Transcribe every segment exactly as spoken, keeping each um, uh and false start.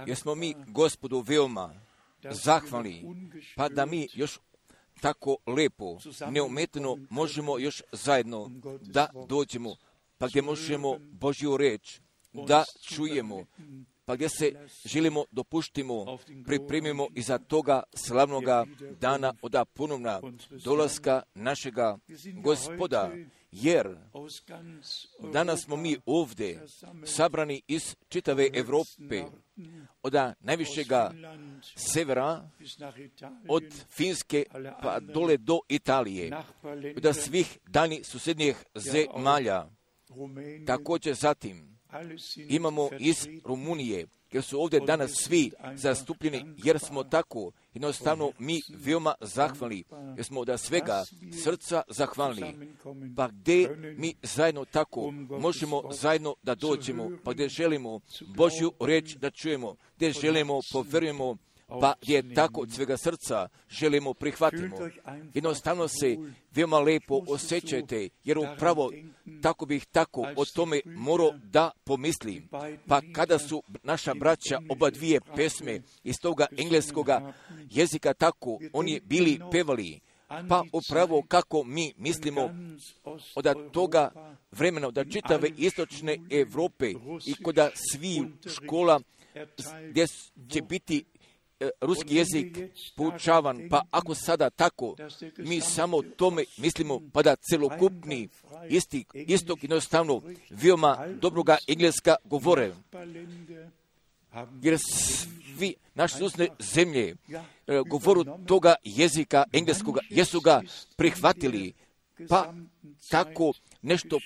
jer smo mi Gospodu veoma zahvalni, pa da mi još tako lepo, neumetno možemo još zajedno da dođemo, pa gdje možemo Božju reč da čujemo, pa gdje se želimo dopuštimo, pripremimo iza toga slavnoga dana od ponovna dolaska našega Gospoda, jer danas smo mi ovdje sabrani iz čitave Europe, od najvišega severa, od Finske pa dole do Italije, od svih daljnjih susjednjih zemalja. Također zatim imamo iz Rumunije, jer su ovdje danas svi zastupljeni, jer smo tako jednostavno mi veoma zahvalni, jer smo od svega srca zahvalni. Pa gdje mi zajedno tako možemo zajedno da dođemo, pa gdje želimo Božju reč da čujemo, gdje želimo povjerujemo, pa gdje tako od svega srca želimo prihvatimo. Jednostavno se veoma lepo osjećajte, jer upravo tako bih tako o tome morao da pomislim. Pa kada su naša braća oba dvije pesme iz toga engleskoga jezika tako, oni bili pevali, pa upravo kako mi mislimo od toga vremena, od čitave istočne Europe i kod svih škola gdje će biti ruski jezik poučavan, pa ako sada tako mi samo tome mislimo, pa da celokupni isti, istok jednostavno veoma dobroga engleska govore, jer svi naše susjedne zemlje govoru toga jezika engleskoga jesu ga prihvatili, pa tako nešto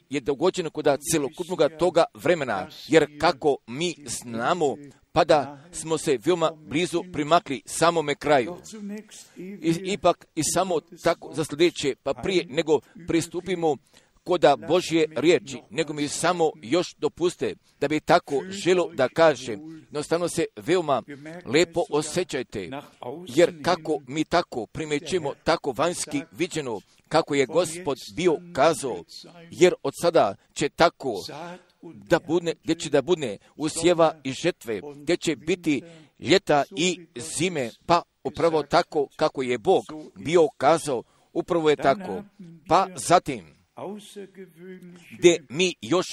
je dogođeno kod celokupnoga toga vremena, jer kako mi znamo, pa da smo se veoma blizu primakli samome kraju. I, ipak i samo tako za sljedeće, pa prije nego pristupimo koda Božje riječi, nego mi samo još dopuste da bi tako želo da kažem. Jednostavno se veoma lepo osjećajte, jer kako mi tako primećujemo tako vanjski viđeno, kako je Gospod bio kazao, jer od sada će tako da budne, gdje će da budne usjeva i žetve, gdje će biti ljeta i zime, pa upravo tako kako je Bog bio kazao, upravo je tako. Pa zatim, gdje mi još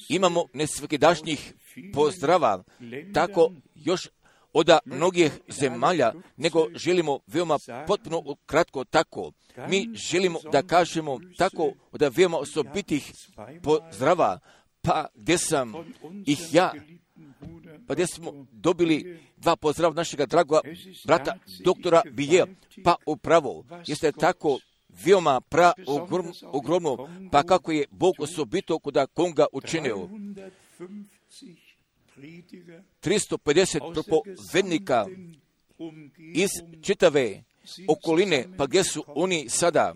imamo nesvakidašnjih pozdrava, tako još od mnogih zemalja, nego želimo veoma potpuno kratko tako. Mi želimo da kažemo tako od veoma osobitih pozdrava, pa gdje sam ih ja, pa gdje smo dobili dva pozdrava našega dragoga brata doktora Bije, pa upravo jeste tako veoma pra ogromno, pa kako je Bog osobito koda konga učinio. tristo pedeset propovednika iz čitave okoline, pa gdje su oni sada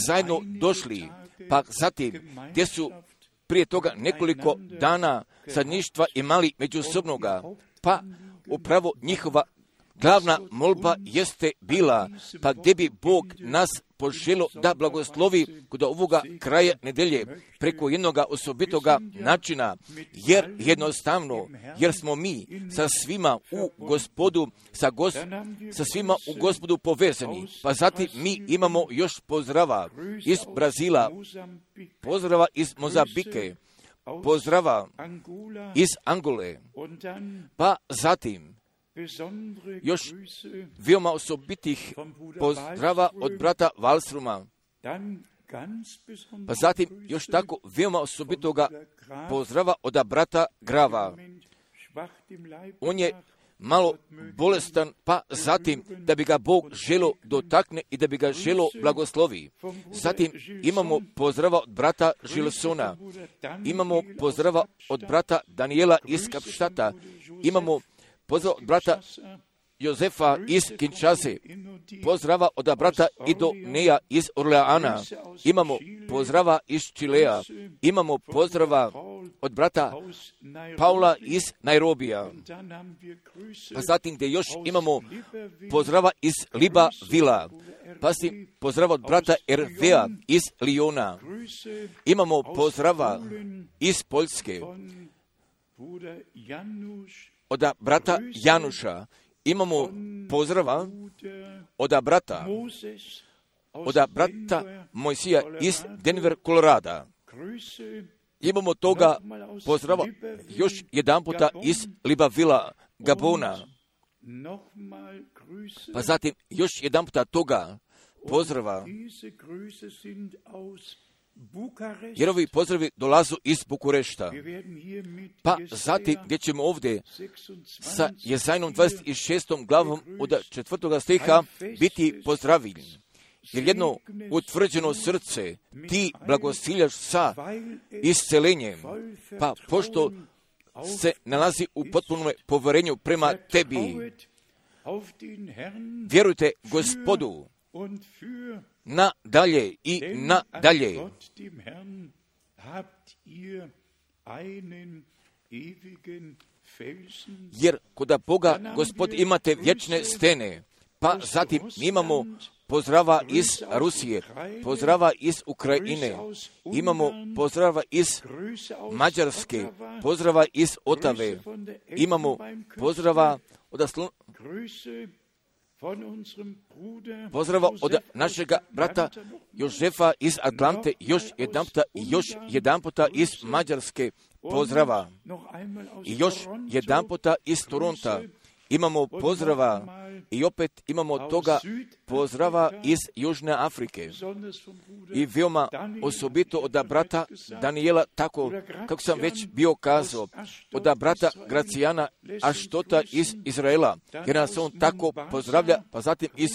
zajedno došli, pa zatim gdje su prije toga nekoliko dana sadništva imali međusobnoga, pa upravo njihova glavna molba jeste bila, pa gdje bi Bog nas poželo da blagoslovi kod ovoga kraja nedelje preko jednoga osobitoga načina, jer jednostavno, jer smo mi sa svima u Gospodu, sa, gos, sa svima u Gospodu povezani. Pa zatim mi imamo još pozdrava iz Brazila, pozdrava iz Mozambike, pozdrava iz Angole, pa zatim još veoma osobitih pozdrava od brata Wallstroma, pa zatim još tako veoma osobitoga pozdrava od brata Grava. On je malo bolestan, pa zatim da bi ga Bog želo dotakne i da bi ga želo blagoslovi. Zatim imamo pozdrava od brata Žilsona, imamo pozdrava od brata Daniela iz Kapštata, imamo pozdrav od brata Jozefa iz Kinshase, pozdrava od brata Idoneja iz Orleana, imamo pozdrava iz Čilea, imamo pozdrava od brata Paula iz Nairobija. Pa zatim gdje još imamo pozdrava iz Librevilla, pa si pozdrava od brata Ervea iz Liona, imamo pozdrava iz Poljske, od brata Januša, imamo pozdrava od brata, od brata Mojsija iz Denver, Kolorada. Imamo toga pozdrava još jedan puta iz Librevilla, Gabona. Pa zatim još jedan puta toga pozdrava, jer ovi pozdravi dolazu iz Bukurešta. Pa zatim gdje ćemo ovdje sa Jezajnom dvadeset šestom glavom od četvrtoga stiha biti pozdravljeni. Jer jedno utvrđeno srce ti blagosiljaš sa iscelenjem, pa pošto se nalazi u potpunom poverenju prema tebi, vjerujte Gospodu na dalje i na dalje. Jer kod Boga Gospod imate vječne stene. Pa zatim imamo pozdrava iz Rusije, pozdrava iz Ukrajine, imamo pozdrava iz Mađarske, pozdrava iz Otave, imamo pozdrava od Slu... pozdrava od našega brata Jožefa iz Atlante, još jedan puta, još jedan puta iz Mađarske pozdrava i još jedan puta iz Toronta. Imamo pozdrava i opet imamo toga pozdrava iz Južne Afrike. I veoma osobito od brata Daniela, tako kako sam već bio kazao, od brata Gracijana Aštota iz Izraela, jer nas on tako pozdravlja, pa zatim iz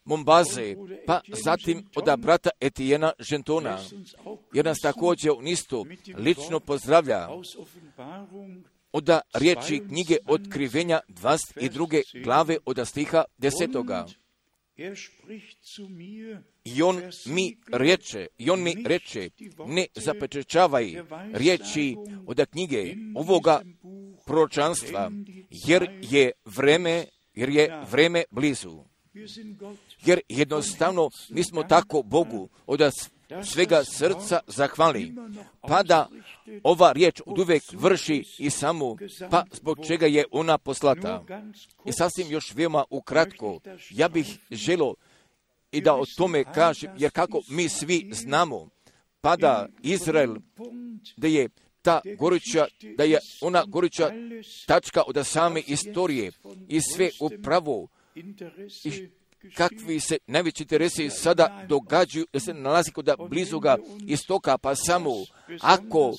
Mombaze, pa zatim od brata Etijena Žentona, jer nas također on isto lično pozdravlja. Od riječi knjige Otkrivenja dvadeset druge glave od stiha desetoga. I on mi reče, i on mi reče, ne zapečačavaj riječi od knjige ovoga proročanstva, jer je vreme, jer je vreme blizu. Jer jednostavno mi smo tako Bogu od svega srca zahvali, pa da ova riječ od uvijek vrši i samo, pa zbog čega je ona poslata. I sasvim još veoma ukratko, ja bih želio i da o tome kažem, jer kako mi svi znamo, pa da Izrael, da je ta goruća, da je ona goruća tačka od same istorije i sve upravo i kakvi se najveći interesi sada događaju, da se nalazi kod blizuga istoka, pa samo ako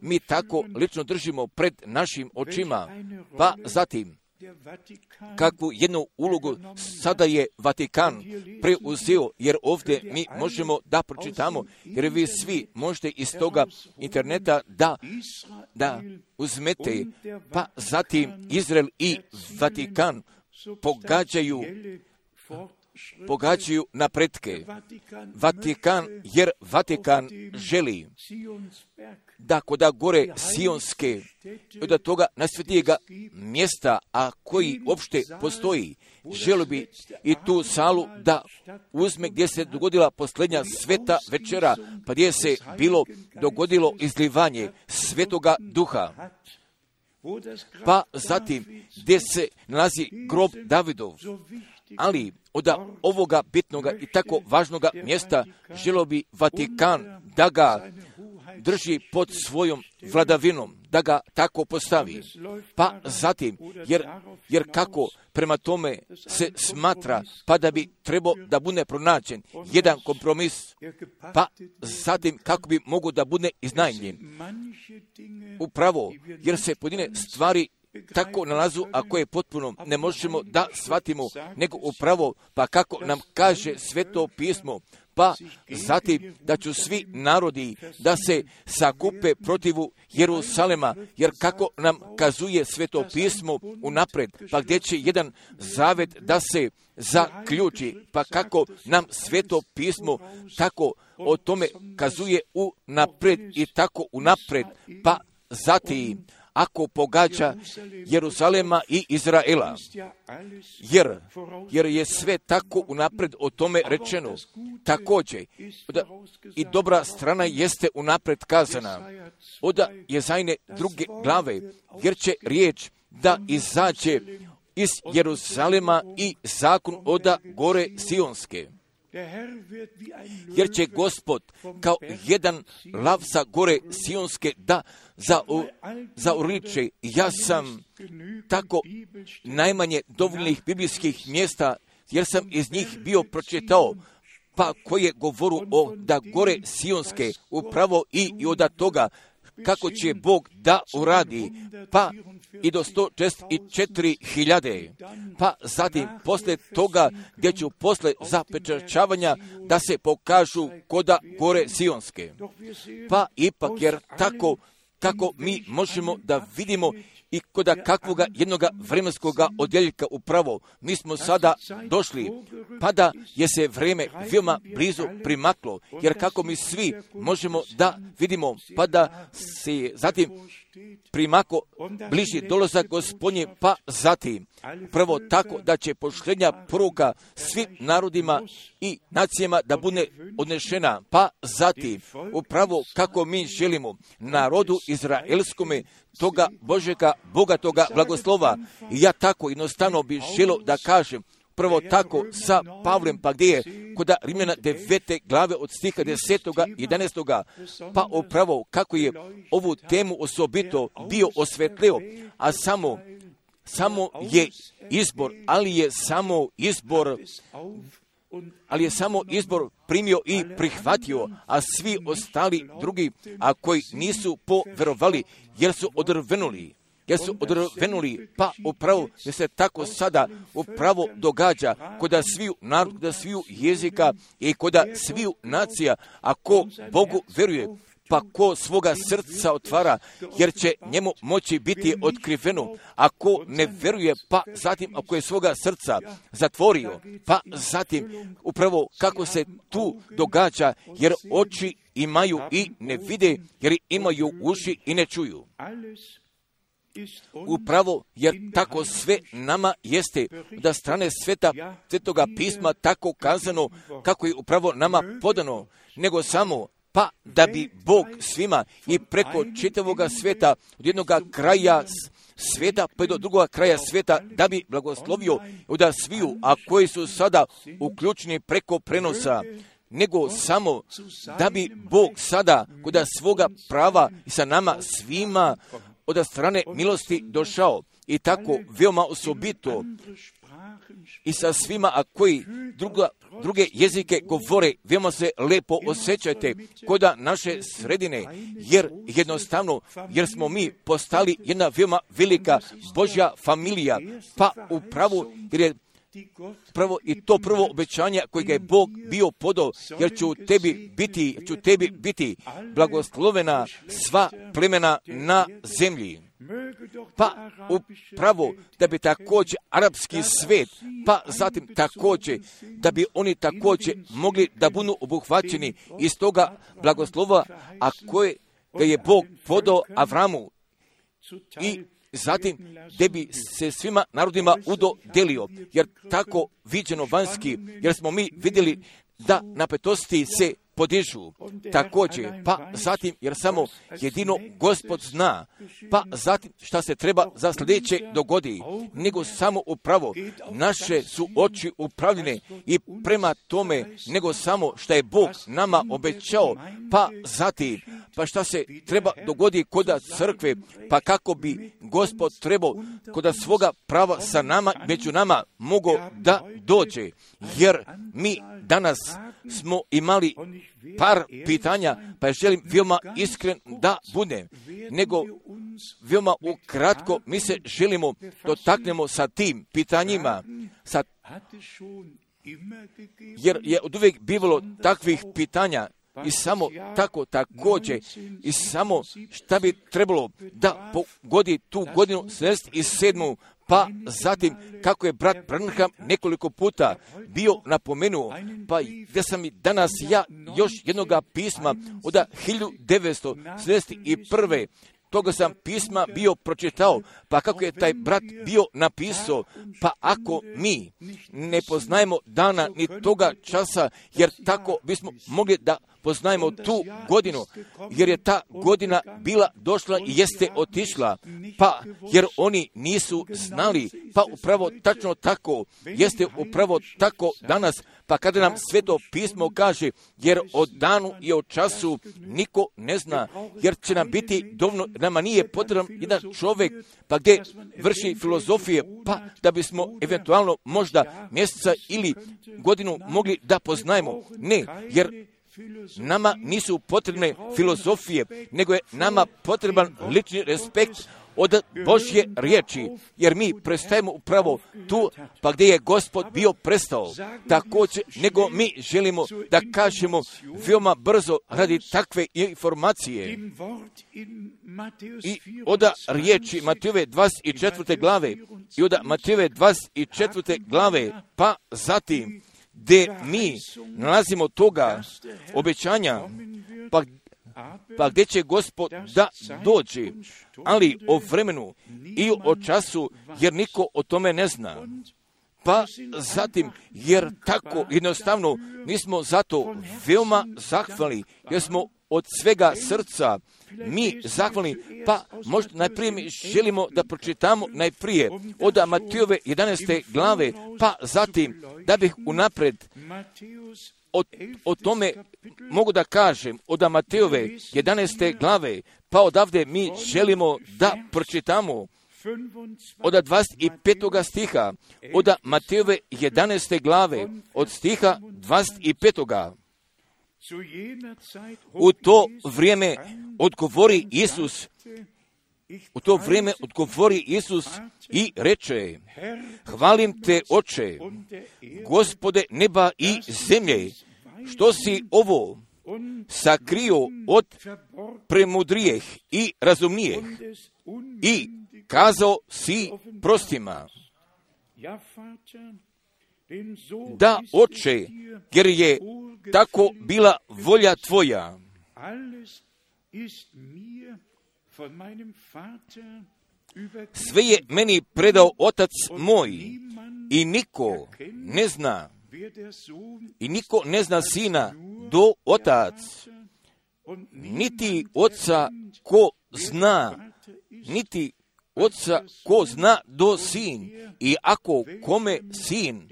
mi tako lično držimo pred našim očima, pa zatim kakvu jednu ulogu sada je Vatikan preuzeo, jer ovdje mi možemo da pročitamo, jer vi svi možete iz toga interneta da, da uzmete, pa zatim Izrael i Vatikan pogađaju pogađaju napretke. Vatikan, jer Vatikan želi da koda gore Sionske, od toga najsvetijega mjesta, a koji uopšte postoji, želi bi i tu salu da uzme gdje se dogodila posljednja sveta večera, pa gdje se bilo dogodilo izlivanje svetoga duha. Pa zatim gdje se nalazi grob Davidov, ali od ovoga bitnoga i tako važnoga mjesta želio bi Vatikan da ga drži pod svojom vladavinom, da ga tako postavi. Pa zatim, jer, jer kako prema tome se smatra, pa da bi trebao da bude pronađen jedan kompromis, pa zatim kako bi mogo da bude iznajmljen. Upravo, jer se pojedine stvari tako nalazu, a koje potpuno ne možemo da shvatimo, nego upravo, pa kako nam kaže Sveto pismo, pa zatim da ću svi narodi da se sakupe protivu Jerusalema, jer kako nam kazuje Sveto pismo unapred, pa gdje će jedan zavet da se zaključi, pa kako nam Sveto pismo tako o tome kazuje unapred i tako unapred, pa zatim, ako pogađa Jeruzalema i Izraela. Jer, jer je sve tako unapred o tome rečeno. Također, i dobra strana jeste unapred kazana. Oda Jezajne druge glave, jer će riječ da izađe iz Jeruzalema i zakon oda gore Sionske. Jer će Gospod kao jedan lav sa gore Sionske da zauriče. Ja sam tako najmanje dovoljnih biblijskih mjesta, jer sam iz njih bio pročitao, pa koje govoru o da gore Sionske upravo i, i od toga kako će Bog da uradi, pa i do sto četrdeset četiri hiljade, pa zatim posle toga gdje ću posle zapečaćavanja da se pokažu koda gore Sionske. Pa ipak jer tako kako mi možemo da vidimo i koda kakvoga jednoga vremenskoga odjeljka upravo mi smo sada došli, pa da je se vreme veoma blizu primaklo, jer kako mi svi možemo da vidimo, pa da se zatim primako bliži dolazak Gospodnji, pa zatim prvo tako da će pošljenja poruka svim narodima i nacijama da bude odnešena, pa zatim upravo kako mi želimo narodu izraelskome toga Božega bogatoga blagoslova. I ja tako jednostavno bih želio da kažem prvo tako sa Pavlem, pa gdje je kod Rimljana devete glave od stiha desetoga i jedanaestoga, pa upravo kako je ovu temu osobito bio osvetlio, a samo, samo je izbor, ali je samo izbor, ali je samo izbor primio i prihvatio, a svi ostali drugi, a koji nisu poverovali, jer su odrvenuli. Jer su odrvenuli, pa upravo jer se tako sada upravo događa koda sviju narod, koda sviju jezika i koda sviju nacija, a ko Bogu veruje, pa ko svoga srca otvara, jer će njemu moći biti otkriveno. Ako ne veruje, pa zatim ako je svoga srca zatvorio, pa zatim upravo kako se tu događa, jer oči imaju i ne vide, jer imaju uši i ne čuju. Upravo jer tako sve nama jeste da strane sveta, svetoga pisma tako kazano kako je upravo nama podano, nego samo pa da bi Bog svima i preko čitavoga sveta od jednog kraja sveta pa do drugog kraja sveta da bi blagoslovio da sviju, a koji su sada uključeni preko prenosa, nego samo da bi Bog sada kod svoga prava i sa nama svima od strane milosti došao i tako veoma osobito i sa svima, a koji druga, druge jezike govore, veoma se lepo osjećajte koda naše sredine, jer jednostavno, jer smo mi postali jedna veoma velika Božja familija, pa upravo, jer je prvo i to prvo obećanje kojega je Bog bio podao, jer će u tebi biti, će u tebi biti blagoslovena sva plemena na zemlji. Pa upravo da bi također arapski svet, pa zatim također da bi oni također mogli da budu obuhvaćeni iz toga blagoslova, a koje ga je Bog podao Avramu i zatim da bi se svima narodima udodelio, jer tako viđeno vanjski, jer smo mi vidjeli da napetosti se podižu također, pa zatim jer samo jedino Gospod zna, pa zatim šta se treba za sljedeće dogodi, nego samo upravo naše su oči upravljene i prema tome, nego samo šta je Bog nama obećao, pa zatim pa šta se treba dogodi koda crkve, pa kako bi Gospod trebao koda svoga prava sa nama, među nama mogao da dođe, jer mi danas smo imali par pitanja, pa želim veoma iskren da budem, nego veoma ukratko mi se želimo dotaknemo sa tim pitanjima, sa, jer je od uvijek bivalo takvih pitanja i samo tako također i samo šta bi trebalo da pogodi tu godinu sedamdeset sedmu, pa zatim kako je brat Branham nekoliko puta bio napomenuo, pa gdje sam i danas ja još jednoga pisma od hiljadu devetsto sedamdeset prve toga sam pisma bio pročitao, pa kako je taj brat bio napisao, pa ako mi ne poznajemo dana ni toga časa, jer tako bismo mogli da poznajemo tu godinu, jer je ta godina bila došla i jeste otišla, pa jer oni nisu znali, pa upravo tačno tako, jeste upravo tako danas, pa kada nam Sveto pismo kaže, jer o danu i o času niko ne zna, jer će nam biti dovoljno, nama nije potreban jedan čovjek, pa gdje vrši filozofije, pa da bismo eventualno možda mjeseca ili godinu mogli da poznajemo. Ne, jer nama nisu potrebne filozofije, nego je nama potreban lični respekt od Božje riječi, jer mi prestajemo upravo tu, pa gdje je Gospod bio prestao. Također, nego mi želimo da kažemo veoma brzo radi takve informacije. I od riječi Matejove dvadeset četvrte glave, i od Matejove dvadeset četvrte glave, pa zatim, gdje mi nalazimo toga obećanja, pa, pa gdje će Gospod da dođe, ali o vremenu i o času, jer niko o tome ne zna. Pa zatim, jer tako jednostavno, mi smo zato veoma zahvalni, jer smo od svega srca mi zahvalni, pa možda najprije mi želimo da pročitamo najprije od Matejove jedanaeste glave, pa zatim da bih unapred o, o tome mogu da kažem od Matejove jedanaeste glave, pa odavde mi želimo da pročitamo od dvadeset petog stiha, od Matejove jedanaeste glave, od stiha dvadeset petog. U to vrijeme odgovori Isus, u to vrijeme odgovori Isus i reče, hvalim te, Oče, Gospode neba i zemlje, što si ovo sakrio od premudrijeh i razumnijeh i kazao si prostima. Da, Oče, jer je tako bila volja tvoja. Sve je meni predao Otac moj i niko ne zna, i niko ne zna Sina do Otac, niti Oca ko zna, niti Oca ko zna do Sin, i ako kome Sin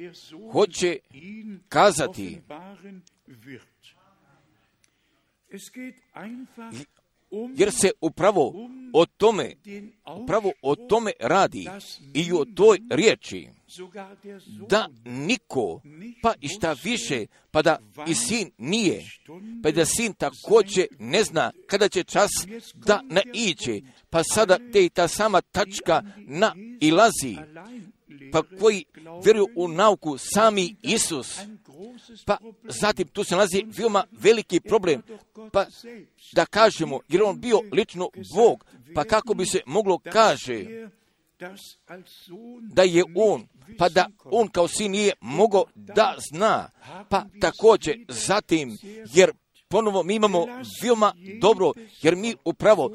hoće kazati. Jer se upravo o tome, upravo o tome radi i o toj riječi, da niko, pa i šta više, pa da i Sin nije, pa da Sin također ne zna kada će čas da naiđe, pa sada te i ta sama tačka nailazi, pa koji vjeruju u nauku sami Isus, pa zatim tu se nalazi veoma veliki problem, pa da kažemo, jer on bio lično Bog, pa kako bi se moglo kaže da je on, pa da on kao Sin nije mogao da zna, pa također zatim, jer ponovo mi imamo veoma dobro, jer mi upravo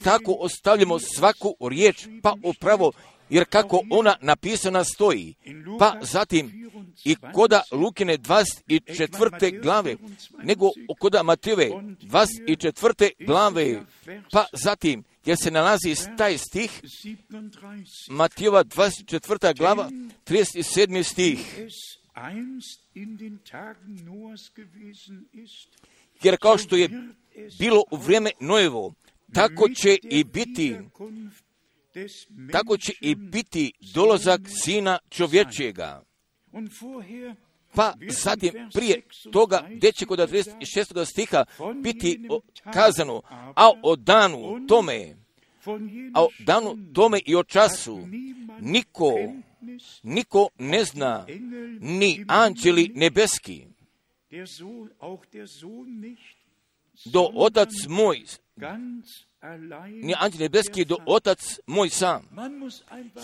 tako ostavljamo svaku riječ, pa upravo, jer kako ona napisana stoji, pa zatim i koda Lukine dvadeset četvrte glave, nego koda Matejove dvadeset četvrte glave, pa zatim, jer se nalazi taj stih, Matejova dvadeset četvrta glava, trideset sedmi stih. Jer kao što je bilo u vrijeme Nojevo, tako će i biti, tako će i biti dolazak Sina čovječjega. Pa zatim prije toga, gdje će kod trideset šestog stiha biti kazano, a o danu tome, a o danu tome i o času, niko, niko ne zna, ni anđeli nebeski, do Otac moj, ni anđel nebeski, do Otac moj sam.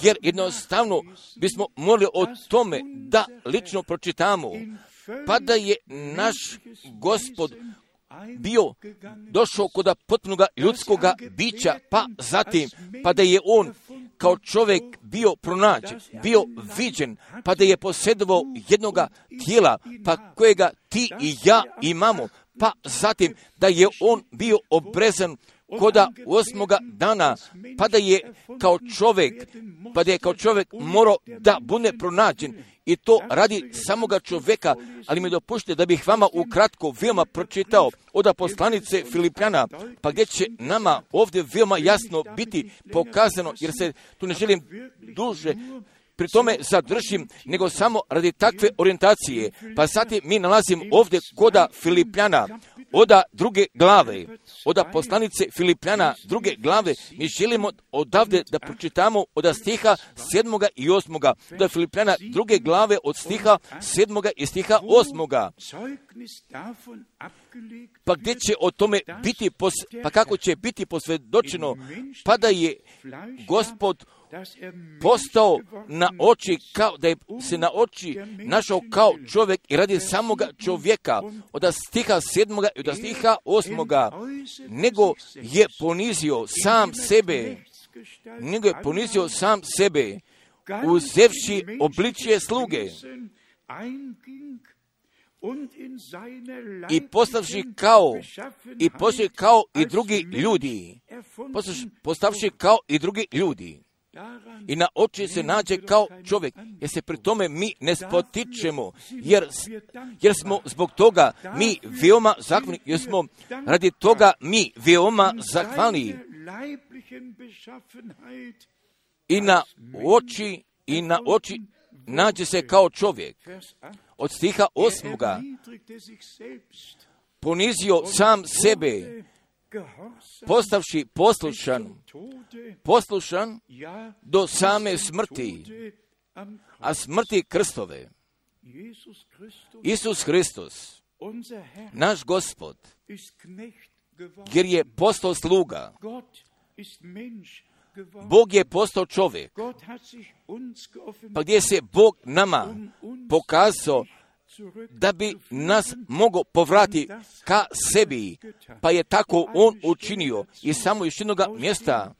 Jer jednostavno bismo morali o tome da lično pročitamo, pa da je naš Gospod bio došao kod potpunog ljudskog bića, pa zatim, pa da je on kao čovjek bio pronađen, bio viđen, pa da je posjedovao jednoga tijela, pa kojega ti i ja imamo, pa zatim da je on bio obrezan koda osmoga dana, pa da je kao čovjek, pa da je kao čovjek morao da bude pronađen, i to radi samoga čovjeka. Ali mi dopušte da bih vama ukratko veoma pročitao od poslanice Filipljana, pa gdje će nama ovdje veoma jasno biti pokazano, jer se tu ne želim duže pri tome zadržim, nego samo radi takve orijentacije. Pa zatim mi nalazim ovdje koda Filipljana, oda druge glave, oda poslanice Filipljana druge glave, mi želimo odavde da pročitamo od stiha sedmoga i osmoga, od Filipljana druge glave od stiha sedmoga i stiha osmoga. Pa gdje će o tome biti, pos, pa kako će biti posvjedočeno, pa da je Gospod postao na oči, kao da je se na oči našao kao čovjek i radi samoga čovjeka, od stiha sedmoga i od stiha osmoga, nego je ponizio sam sebe, nego je ponizio sam sebe, uzevši obličje sluge i postavši kao i postavši kao i drugi ljudi, postavši kao i drugi ljudi. I na oči se nađe kao čovjek, jer se pri tome mi ne spotičemo, jer, jer smo zbog toga mi veoma zahvalni, jer smo radi toga mi veoma zahvalni. I na oči, i na oči nađe se kao čovjek. Od stiha osmoga ponizio sam sebe, postavši poslušan, poslušan do same smrti, a smrti krstove. Isus Hristos, naš Gospod, jer je postao sluga, Bog je postao čovjek, pa gdje se Bog nama pokazao da bi nas mogao povrati ka sebi, pa je tako on učinio. I samo još jednoga mjesta,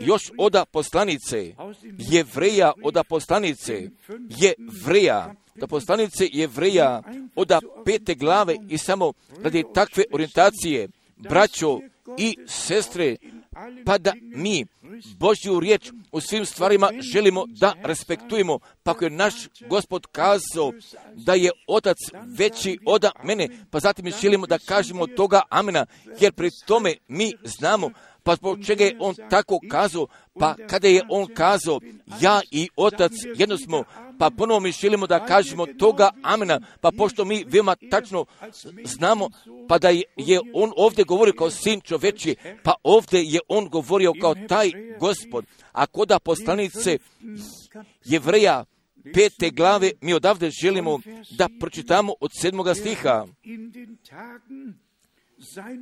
još oda poslanice, Jevreja oda poslanice, Jevreja, da poslanice Jevreja oda pete glave, i samo radi takve orijentacije, braćo i sestre, pa da mi Božju riječ u svim stvarima želimo da respektujemo, pa ako je naš Gospod kazao da je Otac veći od mene, pa zatim mi želimo da kažemo toga amena, jer pri tome mi znamo, pa zbog čega je on tako kazao, pa kada je on kazao ja i Otac jedno smo, pa ponovo mi želimo da kažemo toga amena, pa pošto mi veoma tačno znamo, pa da je on ovdje govorio kao sin čoveči, pa ovdje je on govorio kao taj Gospod. A koda poslanice Jevreja pete glave, mi odavde želimo da pročitamo od sedmoga stiha.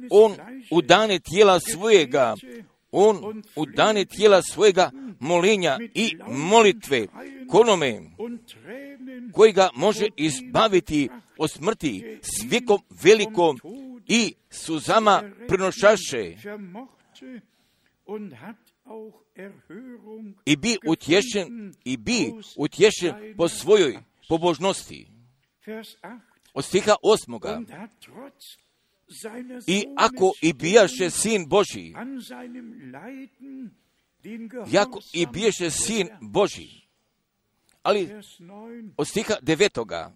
On u dane tijela svojega, on u dane tijela svojega molinja i molitve konome koji ga može izbaviti od smrti s vjekom velikom i suzama prinošaše i bi utješen i bi utješen po svojoj pobožnosti. Od stiha osmoga. I ako i bijaše sin Božji, jako i bijaše sin Božji, ali od stiha devetoga,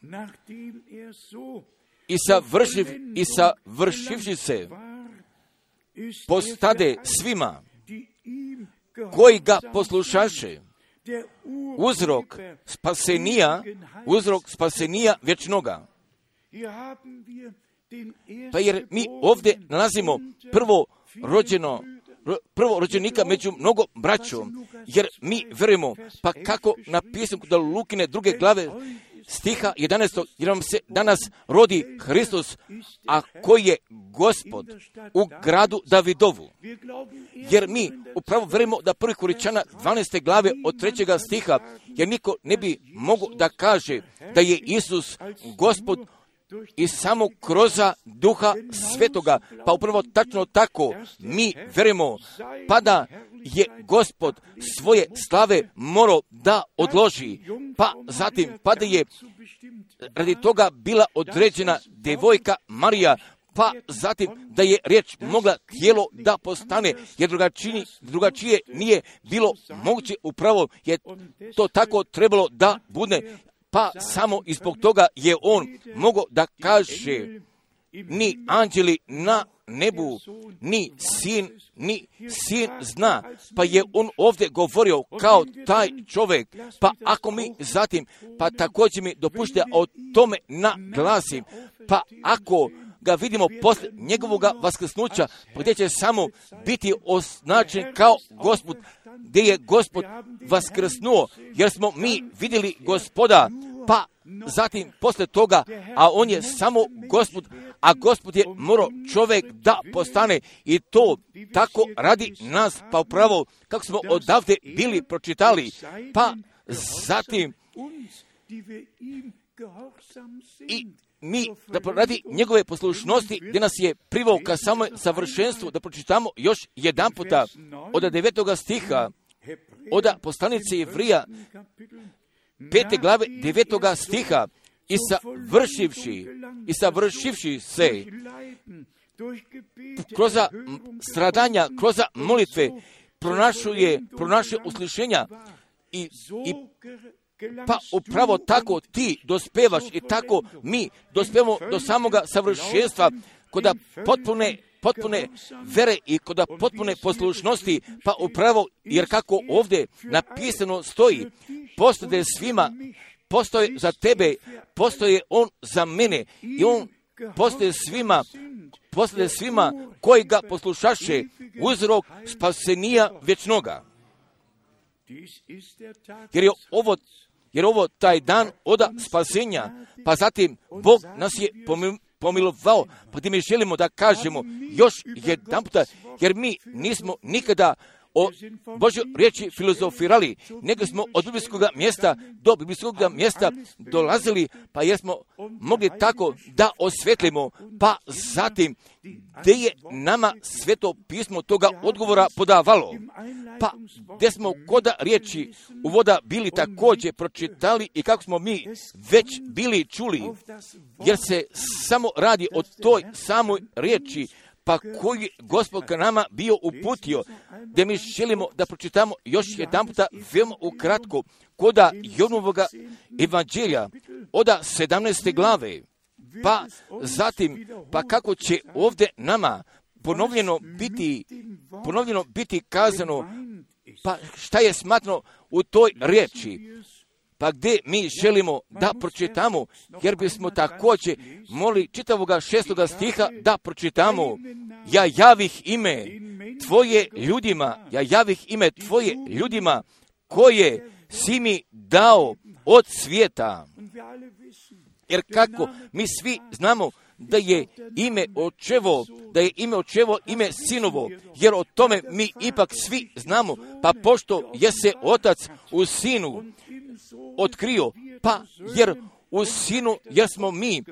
i savršiv, i savršivši se postade svima koji ga poslušaše, uzrok spasenija, uzrok spasenija vječnoga. Pa jer mi ovdje nalazimo prvo rođeno, prvo rođenika među mnogo braćom, jer mi vjerujemo, pa kako napisano kod Lukine druge glave stiha jedanaestog, jer nam se danas rodi Hristos, a koji je Gospod u gradu Davidovu. Jer mi upravo vjerujemo da prvi Koričana dvanaeste glave od trećega stiha, jer niko ne bi mogao da kaže da je Isus Gospod i samo kroz Duha Svetoga, pa upravo tačno tako mi verujemo, pa da je Gospod svoje slave morao da odloži, pa zatim pa da je radi toga bila određena devojka Marija, pa zatim da je riječ mogla tijelo da postane, jer drugačije, drugačije nije bilo moguće, upravo je to tako trebalo da bude, pa samo i zbog toga je on mogao da kaže, ni anđeli na nebu, ni sin, ni sin zna, pa je on ovdje govorio kao taj čovjek, pa ako mi zatim, pa također mi dopušte o tome naglasim, pa ako ga vidimo posle njegovog vaskrsnuća, gdje će samo biti označen kao Gospod, gdje je Gospod vaskrsnuo, jer smo mi vidjeli Gospoda, pa zatim posle toga, a on je samo Gospod, a Gospod je morao čovjek da postane, i to tako radi nas, pa upravo kako smo odavde bili pročitali, pa zatim i mi, da radi njegove poslušnosti, gdje nas je privao ka samoj savršenstvu, da pročitamo još jedan puta od devetoga stiha, od poslanice Jevrija, pete glave devetoga stiha, i savršivši, i savršivši se kroz stradanja, kroz molitve, pronašuje, pronašuje uslišenja i, i pa upravo tako ti dospevaš i tako mi dospevamo do samoga savršenstva kod potpune, potpune vere i kod potpune poslušnosti, pa upravo, jer kako ovdje napisano stoji, postoje svima, postoje za tebe, postoje on za mene i on postoje svima, postoje svima koji ga poslušaše, uzrok spasenija vječnoga. Jer je ovo Jer ovo taj dan od spasenja, pa zatim Bog nas je pomilovao, pa gdje mi želimo da kažemo još jedan puta, jer mi nismo nikada o Božjoj riječi filozofirali, nego smo od biblijskog mjesta do biblijskog mjesta dolazili, pa jesmo mogli tako da osvetlimo, pa zatim gdje je nama sveto pismo toga odgovora podavalo, pa gdje smo kod riječi uvoda bili također pročitali i kako smo mi već bili čuli, jer se samo radi o toj samoj riječi, pa koji Gospod ka nama bio uputio, gdje mi želimo da pročitamo još jedan puta veoma ukratko koda Jovanovoga evanđelja od sedamnaeste glave, pa zatim, pa kako će ovdje nama ponovljeno biti, ponovljeno biti kazano, pa šta je smatrano u toj riječi, pa gdje mi želimo da pročitamo, jer bismo također molili čitavoga šestoga stiha da pročitamo. Ja javih ime tvoje ljudima, ja javih ime tvoje ljudima koje si mi dao od svijeta. Jer kako mi svi znamo da je ime očevo, da je ime očevo ime sinovo, jer o tome mi ipak svi znamo, pa pošto je se otac u sinu otkrio, pa jer u sinu jer smo mi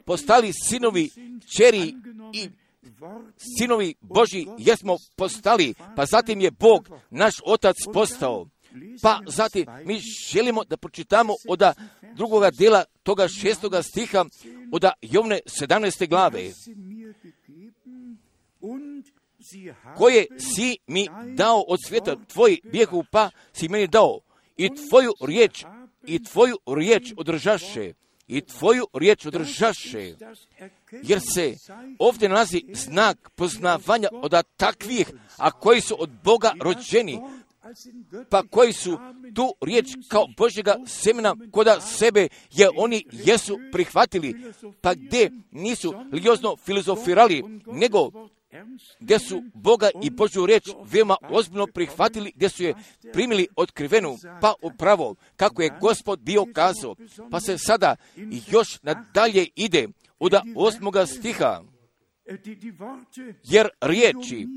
postali sinovi čeri i sinovi Božji jer smo postali, pa zatim je Bog naš otac postao. Pa zatim mi želimo da pročitamo od drugoga dela toga šestoga stiha od Jovne sedamnaeste glave, koje si mi dao od svijeta, tvoj bijehu pa si meni dao i tvoju riječ, i tvoju riječ održaše, i tvoju riječ održaše, jer se ovdje nalazi znak poznavanja od takvih, a koji su od Boga rođeni, pa koji su tu riječ kao Božjega semena koda sebe je oni jesu prihvatili, pa gdje nisu religiozno filozofirali, nego gdje su Boga i Božju riječ veoma ozbiljno prihvatili, gdje su je primili otkrivenu, pa upravo kako je Gospod bio kazao, pa se sada još nadalje ide od osmoga stiha, jer riječi,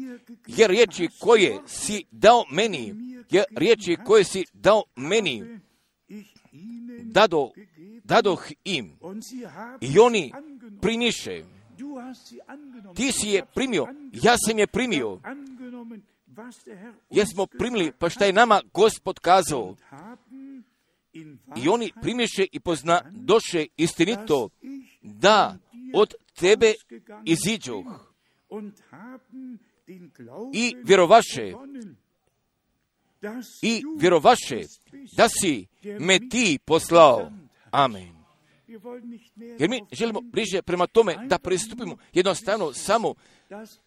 jer riječi koje si dao meni, jer riječi koje si dao meni, dado, dadoh im, i oni primiše. Ti si je primio, ja sam je primio. Jesmo primili, pa šta je nama Gospod kazao. I oni primiše i pozna doše istinito da od tebe iziđoh i vjerovaše i vjerovaše da si me ti poslao. Amen. Jer mi želimo bliže prema tome da pristupimo jednostavno samo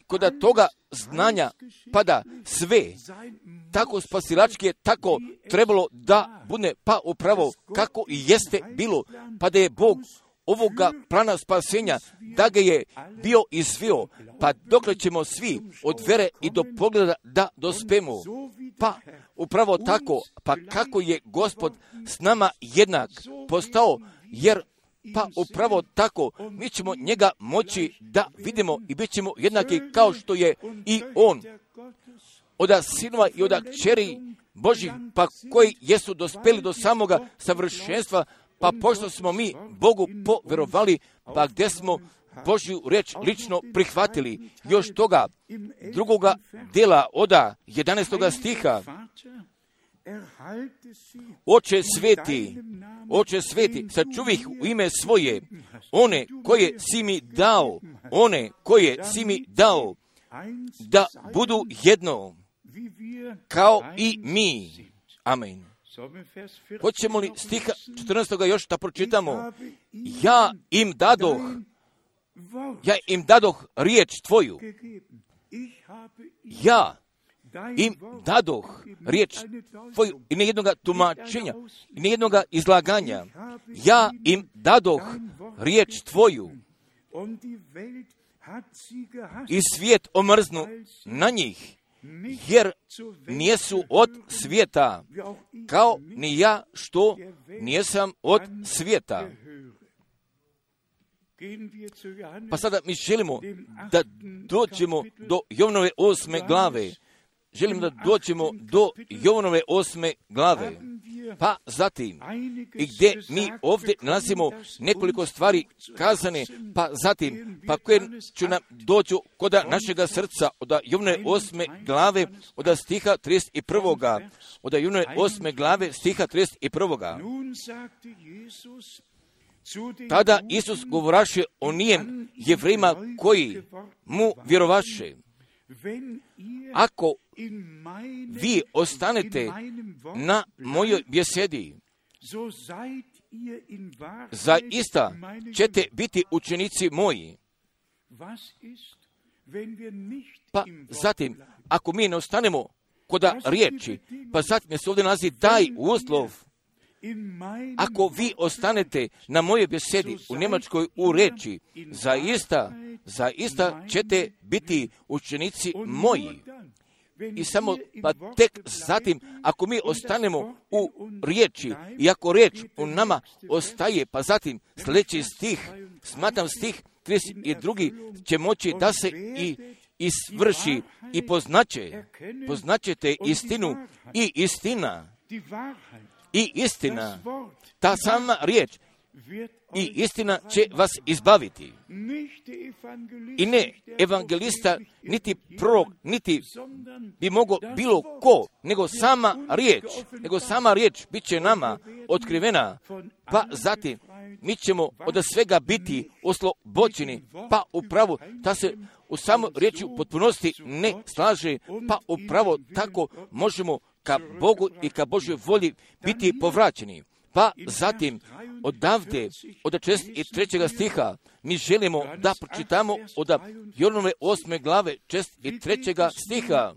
kod toga znanja pada sve. Tako spasilački je tako trebalo da bude, pa upravo kako i jeste bilo, pa da je Bog ovoga plana spasenja, da ga je bio izvio, pa dokle ćemo svi od vere i do pogleda da dospemo. Pa upravo tako, pa kako je Gospod s nama jednak postao, jer pa upravo tako mi ćemo njega moći da vidimo i bit ćemo jednaki kao što je i on. Oda sinova i oda kćeri Božih, pa koji jesu dospeli do samoga savršenstva, pa pošto smo mi Bogu poverovali, pa gdje smo Božju reč lično prihvatili. Još toga drugoga dela oda jedanaestoga stiha. Oče sveti, Oče sveti, sačuvih u ime svoje, one koje si mi dao, one koje si mi dao, da budu jedno, kao i mi. Amen. Hoćemo li stiha četrnaestoga još da pročitamo? Ja im dadoh, ja im dadoh riječ tvoju. Ja im dadoh riječ tvoju i nijednoga tumačenja, i nijednoga izlaganja. Ja im dadoh riječ tvoju i svijet omrznu na njih, jer nijesu od svijeta, kao ni ja što nijesam od svijeta. Pa sada mi želimo da dođemo do Jovanove osme glave. Želim da dođemo do Jovanove osme glave. Pa zatim, i gdje mi ovdje nalazimo nekoliko stvari kazane, pa zatim, pa koje će nam dođu kod našega srca, od Jovanove osme glave, od stiha trideset prvoga. Od Jovanove osme glave, stiha trideset prvoga. Tada Isus govoraše o nijem Jevrejima koji mu vjerovaše. Ako vi ostanete na mojoj besedi, zaista ćete biti učenici moji. Pa zatim, ako mi ne ostanemo kod riječi, pa zatim se ovdje nalazi daj uslov. Ako vi ostanete na mojoj besedi u Njemačkoj u reči, zaista, zaista ćete biti učenici moji. I samo pa tek zatim, ako mi ostanemo u riječi i ako riječ u nama ostaje, pa zatim sljedeći stih, smatram stih trideset drugi će moći da se i isvrši i poznaće, poznaćete istinu i istina. I istina, ta sama riječ i istina će vas izbaviti. I ne evangelista, niti prorok, niti bi mogao bilo ko, nego sama riječ, nego sama riječ bit će nama otkrivena, pa zatim mi ćemo od svega biti oslobođeni, pa upravo ta se u samoj riječi u potpunosti ne slaže, pa upravo tako možemo ka Bogu i ka Božoj volji biti povraćeni. Pa zatim, odavde, od šezdeset trećeg stiha, mi želimo da pročitamo od Jovanove osme glave, šezdeset trećeg stiha.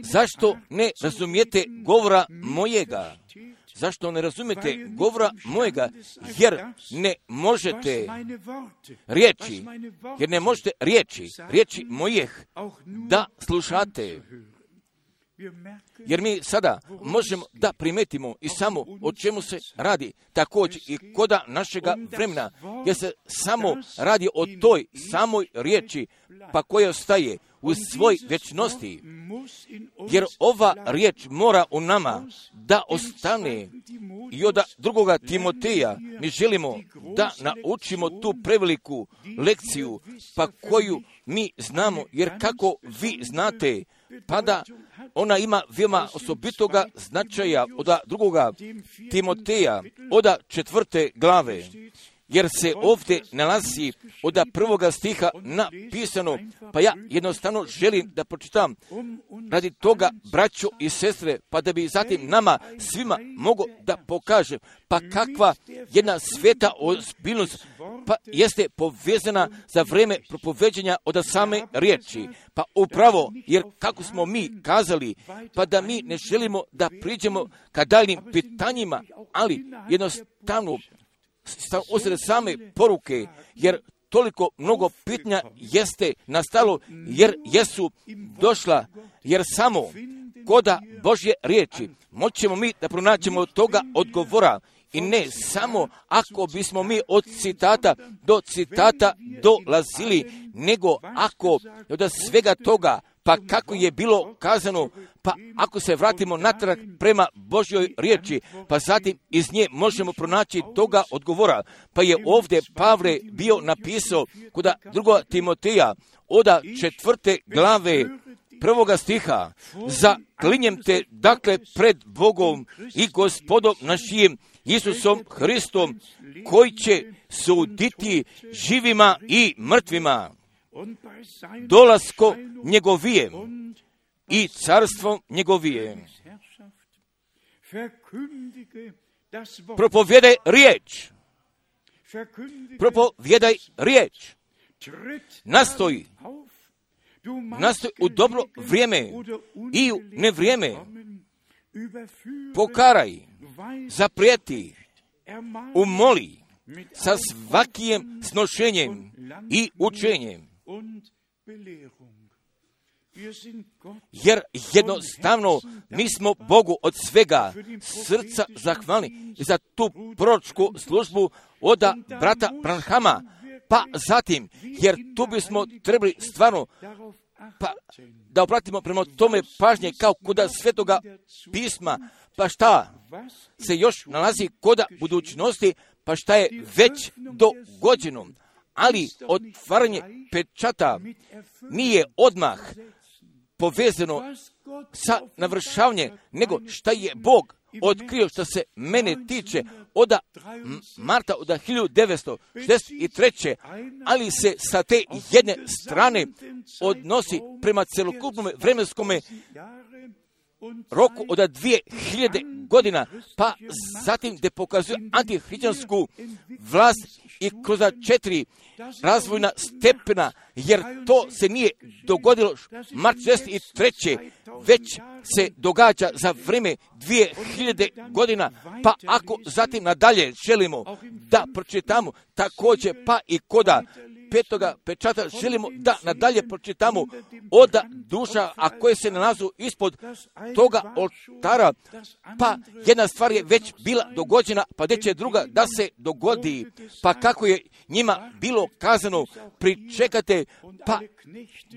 Zašto ne razumijete govora mojega? Zašto ne razumijete govora mojega? Jer ne možete riječi, jer ne možete riječi, riječi mojih da slušate. Jer mi sada možemo da primetimo i samo o čemu se radi također i koda našega vremena, jer se samo radi o toj samoj riječi pa koja ostaje u svoj večnosti. Jer ova riječ mora u nama da ostane i od drugoga Timoteja mi želimo da naučimo tu preveliku lekciju, pa koju mi znamo, jer kako vi znate, pa da ona ima veoma osobitoga značaja od drugoga Timoteja, od četvrte glave, jer se ovdje nalazi od prvoga stiha napisano, pa ja jednostavno želim da pročitam radi toga, braćo i sestre, pa da bi zatim nama svima mogo da pokažem, pa kakva jedna sveta ozbiljnost pa jeste povezana za vreme propoveđenja od same riječi. Pa upravo, jer kako smo mi kazali, pa da mi ne želimo da priđemo ka daljnim pitanjima, ali jednostavno osred same poruke, jer toliko mnogo pitanja jeste nastalo, jer jesu došla, jer samo koda Božje riječi moćemo mi da pronaćemo toga odgovora, i ne samo ako bismo mi od citata do citata dolazili, nego ako od svega toga, pa kako je bilo kazano, pa ako se vratimo natrag prema Božjoj riječi, pa zatim iz nje možemo pronaći toga odgovora. Pa je ovdje Pavle bio napisao kod drugoga Timoteja od četvrte glave prvoga stiha: zaklinjem te dakle pred Bogom i Gospodom našim Isusom Hristom, koji će suditi živima i mrtvima, dolasko njegovijem i carstvom njegovijem. Propovjedaj riječ. Propovjedaj riječ. Nastoji. Nastoji u dobro vrijeme i u nevrijeme. Pokaraj, zaprijeti, umoli sa svakijem snošenjem i učenjem. Jer jednostavno mi smo Bogu od svega srca zahvalni za tu proročku službu od brata Branhama, pa zatim, jer tu bismo trebali stvarno pa, da obratimo prema tome pažnje kao kod Svetoga pisma, pa šta se još nalazi kod budućnosti, pa šta je već dogođeno. Ali otvaranje pečata nije odmah povezano sa navršavanjem, nego šta je Bog otkrio što se mene tiče od marta od hiljadu devetsto šezdeset treće. ali se sa te jedne strane odnosi prema celokupnom vremenskom roku od dvije hiljade godina, pa zatim gdje pokazuje antihrišćansku vlast i kroz četiri razvojna stepena, jer to se nije dogodilo mart šezdeset treće. već se događa za vrijeme dvije hiljade godina, pa ako zatim nadalje želimo da pročitamo također pa i koda petoga pečata, želimo da nadalje pročitamo od duša, a koje se nalazu ispod toga oltara, pa jedna stvar je već bila dogođena, pa gdje će druga da se dogodi, pa kako je njima bilo kazano, pričekate, pa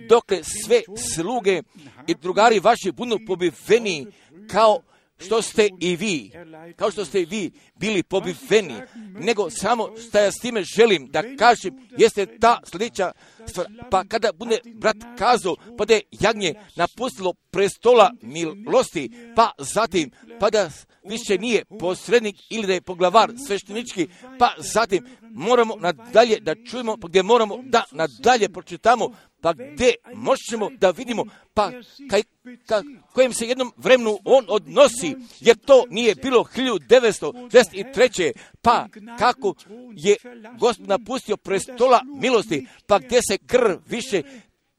dokle sve sluge i drugari vaši budu pobiveni, kao što ste i vi, kao što ste i vi bili pobiveni, nego samo što ja s time želim da kažem, jeste ta sljedeća stvar, pa kada bude brat kazao, pa da je jagnje napustilo prestola milosti, pa zatim, pa da više nije posrednik ili da je poglavar sveštenički, pa zatim moramo nadalje da čujemo, pa gdje moramo da nadalje pročitamo, pa gdje možemo da vidimo, pa kaj, ka, kojem se jednom vremenu on odnosi, jer to nije bilo hiljadu devetsto šezdeset treće. pa kako je Gospod napustio prestola milosti, pa gdje se krv više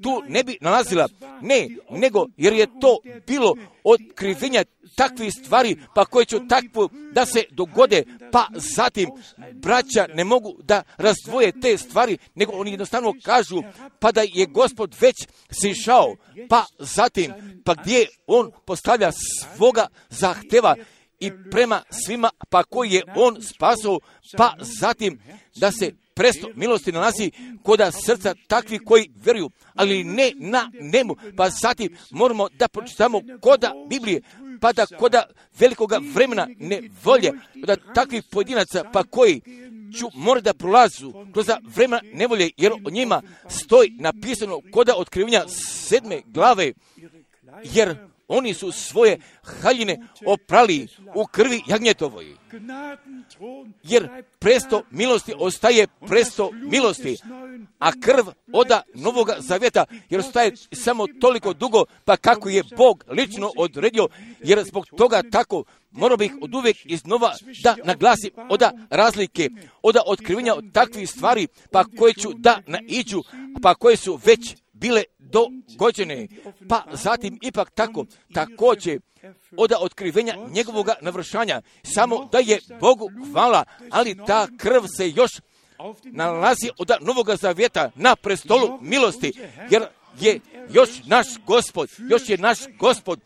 tu ne bi nalazila, ne, nego jer je to bilo otkrivenja takvih stvari, pa koje će takvo da se dogode, pa zatim braća ne mogu da razdvoje te stvari, nego oni jednostavno kažu, pa da je Gospod već sišao, pa zatim, pa gdje on postavlja svoga zahteva i prema svima, pa koji je on spasao, pa zatim da se presto milosti nalazi koda srca takvi koji vjeruju, ali ne na nemu, pa zatim moramo da pročitamo koda Biblije, pa da koda velikoga vremena ne volje, da takvih pojedinaca pa koji ću mora da prolazu kroz vremena nevolje, jer o njima stoji napisano koda otkrivenja sedme glave, jer oni su svoje haljine oprali u krvi jagnjetovoj. Jer presto milosti ostaje presto milosti, a krv oda Novoga Zavjeta, jer ostaje samo toliko dugo, pa kako je Bog lično odredio, jer zbog toga tako morao bih od uvijek iznova da naglasim oda razlike, oda otkrivenja od takvih stvari, pa koje ću da naiđu, pa koje su već bile dogođene, pa zatim ipak tako, također oda otkrivenja njegovoga navršanja, samo da je Bogu hvala, ali ta krv se još nalazi od Novoga Zavjeta na prestolu milosti, jer je još naš Gospod, još je naš Gospod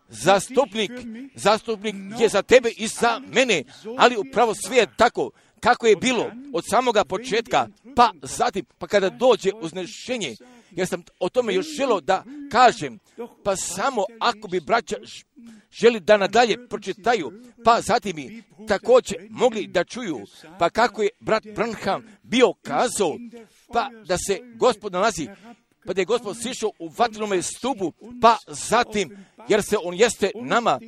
zastupnik, zastupnik je za tebe i za mene, ali upravo sve je tako kako je bilo od samoga početka, pa zatim, pa kada dođe uznešenje, jer sam o tome još želio da kažem, pa samo ako bi braća želi da nadalje pročitaju, pa zatim bi također mogli da čuju, pa kako je brat Branham bio kazao, pa da se Gospod nalazi, pa da je Gospod sišao u vatrenome stupu, pa zatim, jer se on jeste nama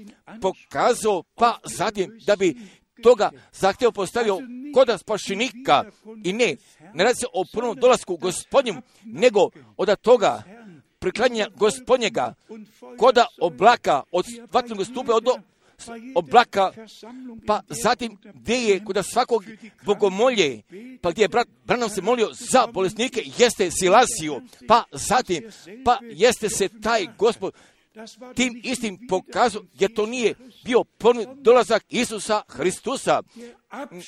pokazao, pa zatim da bi toga zahtjev postavio koda spašenika i ne, ne radi se o prvom dolasku Gospodnjem, nego od toga priklanjanja Gospodnjega koda oblaka od vatrenog stupa od oblaka, pa zatim gdje je kod svakog bogomolje, pa gdje je brat Branham se molio za bolesnike, jeste Silasiju, pa zatim, pa jeste se taj Gospod tim istim pokazao, jer to nije bio ponovni dolazak Isusa Hristusa,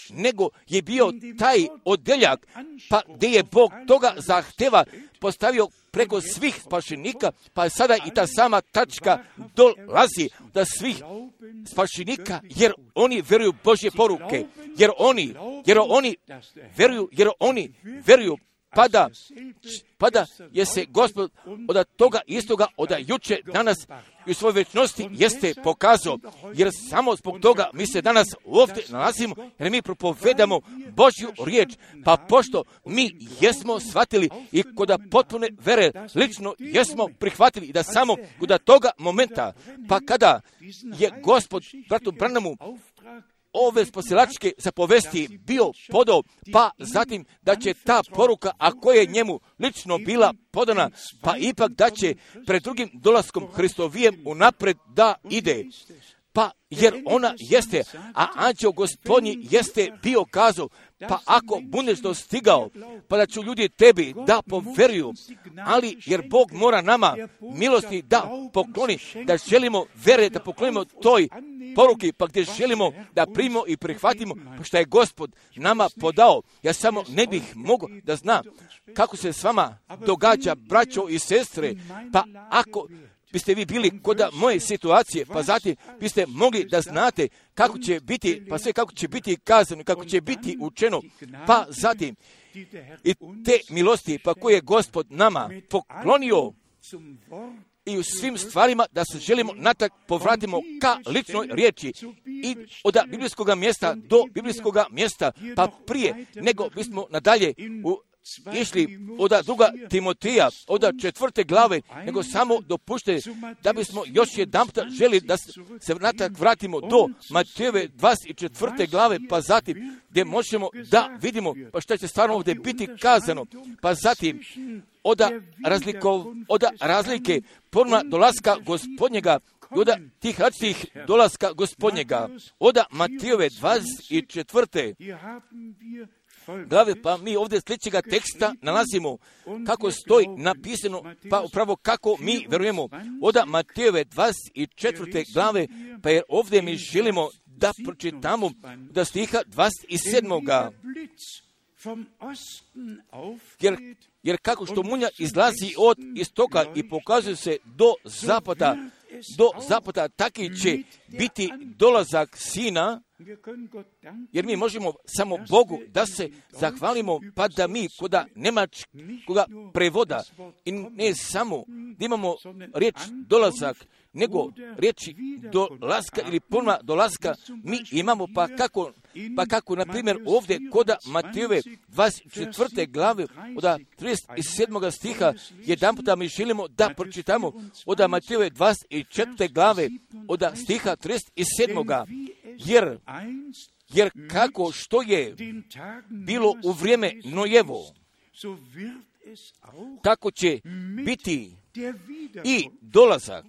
nego je bio taj odeljak, pa gdje je Bog toga zahteva postavio preko svih spašenika, pa sada i ta sama tačka dolazi da svih spašenika, jer oni vjeruju Božje poruke, jer oni, jer oni vjeruju, jer oni vjeruju, pa da, pa da je se Gospod od toga istoga, od juče, danas i u svojoj večnosti jeste pokazao, jer samo zbog toga mi se danas ovdje nalazimo, jer mi propovedamo Božju riječ, pa pošto mi jesmo shvatili i kod potpune vere lično jesmo prihvatili da samo kod toga momenta, pa kada je Gospod bratu Branhamu ove spasilačke zapovesti bio podao, pa zatim da će ta poruka, a koja je njemu lično bila podana, pa ipak da će pred drugim dolaskom Hristovijem unapred da ide. Pa jer ona jeste, a anđeo Gospodnji jeste bio kazao, pa ako budeš dostigao, pa da ću ljudi tebi da poveruju, ali jer Bog mora nama milosti da pokloni, da želimo vere da poklonimo toj poruki, pa gdje želimo da primimo i prihvatimo, pa što je Gospod nama podao. Ja samo ne bih mogao da znam kako se s vama događa, braćo i sestre, pa ako biste vi bili kod moje situacije, pa zatim biste mogli da znate kako će biti, pa sve kako će biti kazano, kako će biti učeno, pa zatim i te milosti, pa koje je Gospod nama poklonio i u svim stvarima da se želimo natak povratimo ka ličnoj riječi i od biblijskog mjesta do biblijskog mjesta, pa prije nego bismo nadalje u išli od druga Timotija, od četvrte glave, nego samo dopušte da bismo još jedan puta želi da se natak vratimo do Matejeve dvadeset četvrte glave, pa zatim gdje možemo da vidimo pa što će stvarno ovdje biti kazano, pa zatim od, razlikov, od razlike ponovna dolaska Gospodnjega i od tih različitih dolaska Gospodnjega, od Matejeve dvadeset četvrte glave, pa mi ovdje sljedećega teksta nalazimo kako stoji napisano, pa upravo kako mi verujemo od Matejeve dvadeset četvrte glave, pa jer ovdje mi želimo da pročitamo da stiha dvadeset sedmog Jer, jer kako što munja izlazi od istoka i pokazuje se do zapada, do zapada, taki će biti dolazak Sina, jer mi možemo samo Bogu da se zahvalimo, pa da mi koda nemačkoga prevoda i ne samo da imamo riječ dolazak, nego riječi dolaska ili ponovna dolaska mi imamo, pa kako, pa kako na primjer ovdje koda Matejove dvadeset četvrte glave od trideset sedmog stiha jedan puta mi želimo da pročitamo od Matejove dvadeset četvrte glave od stiha trideset sedmog. Jer, jer kako što je bilo u vrijeme Nojevo, tako će biti i dolazak,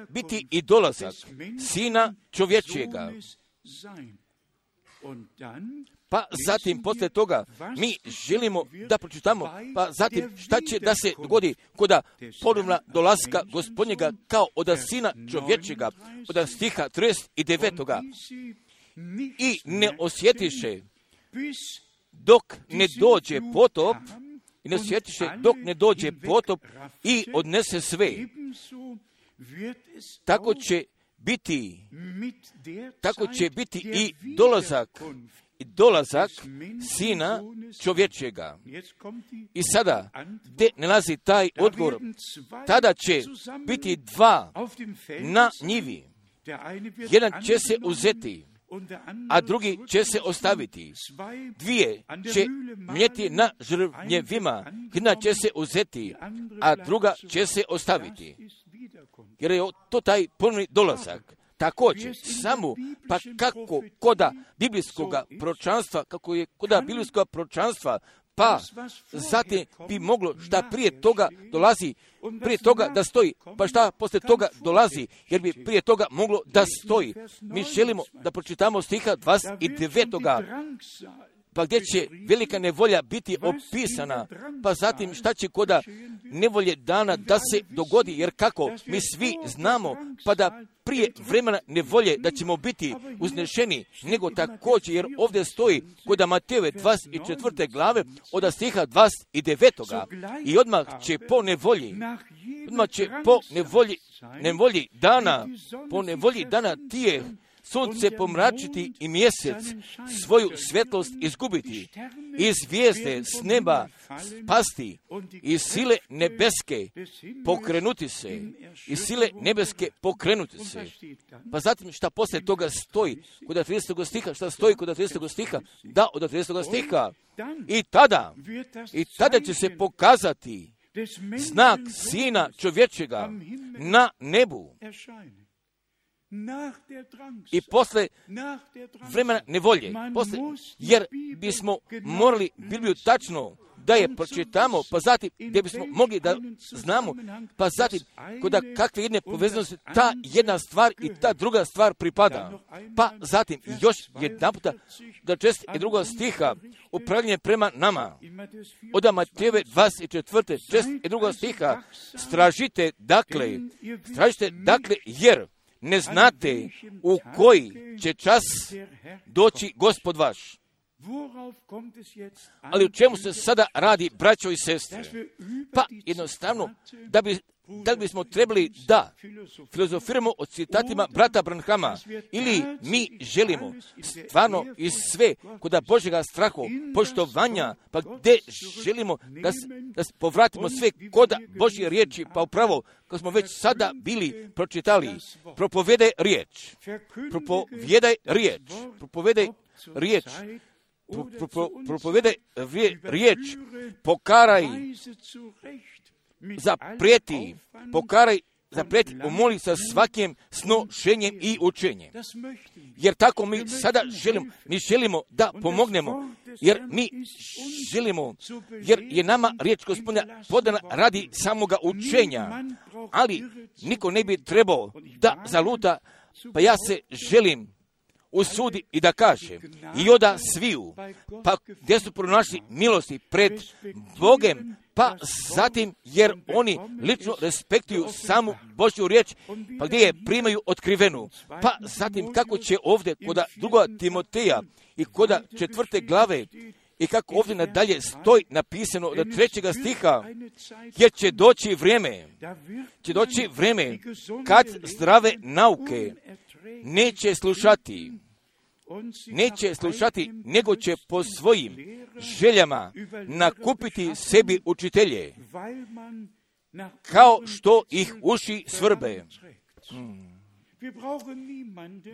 biti i dolazak Sina čovječjega. Pa zatim, poslije toga, mi želimo da pročitamo, pa zatim šta će da se dogodi koda ponovna dolaska Gospodnjega kao od Sina čovječega, od stiha trideset devetog. I ne osjetiše dok ne dođe potop, i ne osjetiše dok ne dođe potop i odnese sve. Tako će biti, tako će biti i dolazak, i dolazak Sina čovječega. I sada, gdje nalazi taj odgovor? Tada će biti dva na njivi. Jedan će se uzeti, a drugi će se ostaviti. Dvije će mljeti na žrvnjevima, jedna će se uzeti, a druga će se ostaviti. Jer je to taj ponovni dolazak. Također, samo, pa kako koda biblijskog proročanstva, kako je koda biblijskog proročanstva, pa zatim bi moglo šta prije toga dolazi, prije toga da stoji, pa šta poslije toga dolazi, jer bi prije toga moglo da stoji. Mi želimo da pročitamo stiha dvadeset devetog. Pa gdje će velika nevolja biti opisana, pa zatim šta će koda nevolje dana da se dogodi, jer kako mi svi znamo, pa da prije vremena nevolje da ćemo biti uznešeni, nego također, jer ovdje stoji kod Matejove dvadeset četvrte glave od stiha dvadeset devetog. I odmah će po nevolji, odmah će po nevolji, nevolji dana, po nevolji dana tije sunce pomračiti i mjesec svoju svjetlost izgubiti, i zvijezde s neba spasti, i sile nebeske pokrenuti se, i sile nebeske pokrenuti se. Pa zatim šta poslije toga stoji kod tridesetog stiha, šta stoji kod tridesetog stiha? Da, od tridesetog stiha. I tada, i tada će se pokazati znak Sina čovječega na nebu. I posle vremena nevolje, posle, jer bismo morali Bibliju tačno da je pročitamo, pa zatim gdje bismo mogli da znamo, pa zatim kod kakve jedne povezanosti ta jedna stvar i ta druga stvar pripada. Pa zatim još jedan puta da čest i druga stiha upravljanje prema nama. Od Matejove dvadeset četvrte čest i druga stiha stražite dakle, stražite dakle jer ne znate u koji će čas doći Gospod vaš. Ali u čemu se sada radi, braćo i sestre? Pa jednostavno, da bi, da bismo trebali da filozofiramo o citatima brata Branhama, ili mi želimo stvarno iz sve kod Božjega strahu, poštovanja, pa gdje želimo da, da povratimo sve kod Božje riječi, pa upravo, kao smo već sada bili pročitali, propovedaj riječ, propovedaj riječ, propovedaj riječ, Pro, pro, propovedaj riječ, pokaraj, zaprijeti, pokaraj, zaprijeti, umoli sa svakim snošenjem i učenjem. Jer tako mi sada želimo, mi želimo da pomognemo, jer mi želimo, jer je nama riječ Gospodina podana radi samoga učenja, ali niko ne bi trebao da zaluta, pa ja se želim usudi i da kaže, i oda sviju, pa gdje su pronašli milosti pred Bogem, pa zatim jer oni lično respektuju samu Božju riječ, pa gdje je primaju otkrivenu, pa zatim kako će ovdje kod druga Timoteja i kod četvrte glave, i kako ovdje nadalje stoji napisano od trećega stiha, jer će doći vrijeme, će doći vrijeme kad zdrave nauke neće slušati, neće slušati, nego će po svojim željama nakupiti sebi učitelje, kao što ih uši svrbe. Hmm.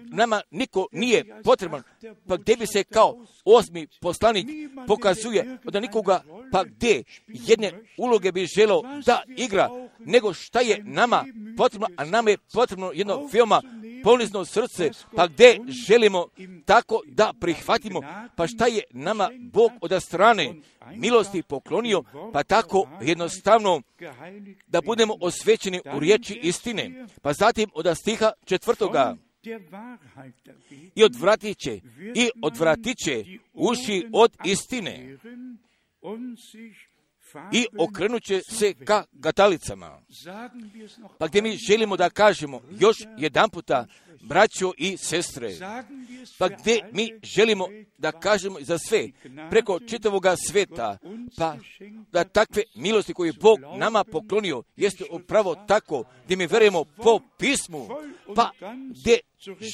Nama niko nije potreban, pa gdje bi se kao osmi poslanik pokazuje da nikoga, pa gdje jedne uloge bi želeo da igra, nego šta je nama potrebno, a nama je potrebno jedno veoma ponizno srce, pa gdje želimo tako da prihvatimo, pa šta je nama Bog od strane milosti poklonio, pa tako jednostavno da budemo osvećeni u riječi istine. Pa zatim od stiha četvrtoga, i odvratit će, i odvratit će uši od istine i okrenut će se ka katalicama. Pa gdje mi želimo da kažemo još jedan puta, braćo i sestre, pa gdje mi želimo da kažemo za sve, preko čitavoga sveta, pa da takve milosti koje je Bog nama poklonio, jeste upravo tako, gdje mi verujemo po pismu, pa gdje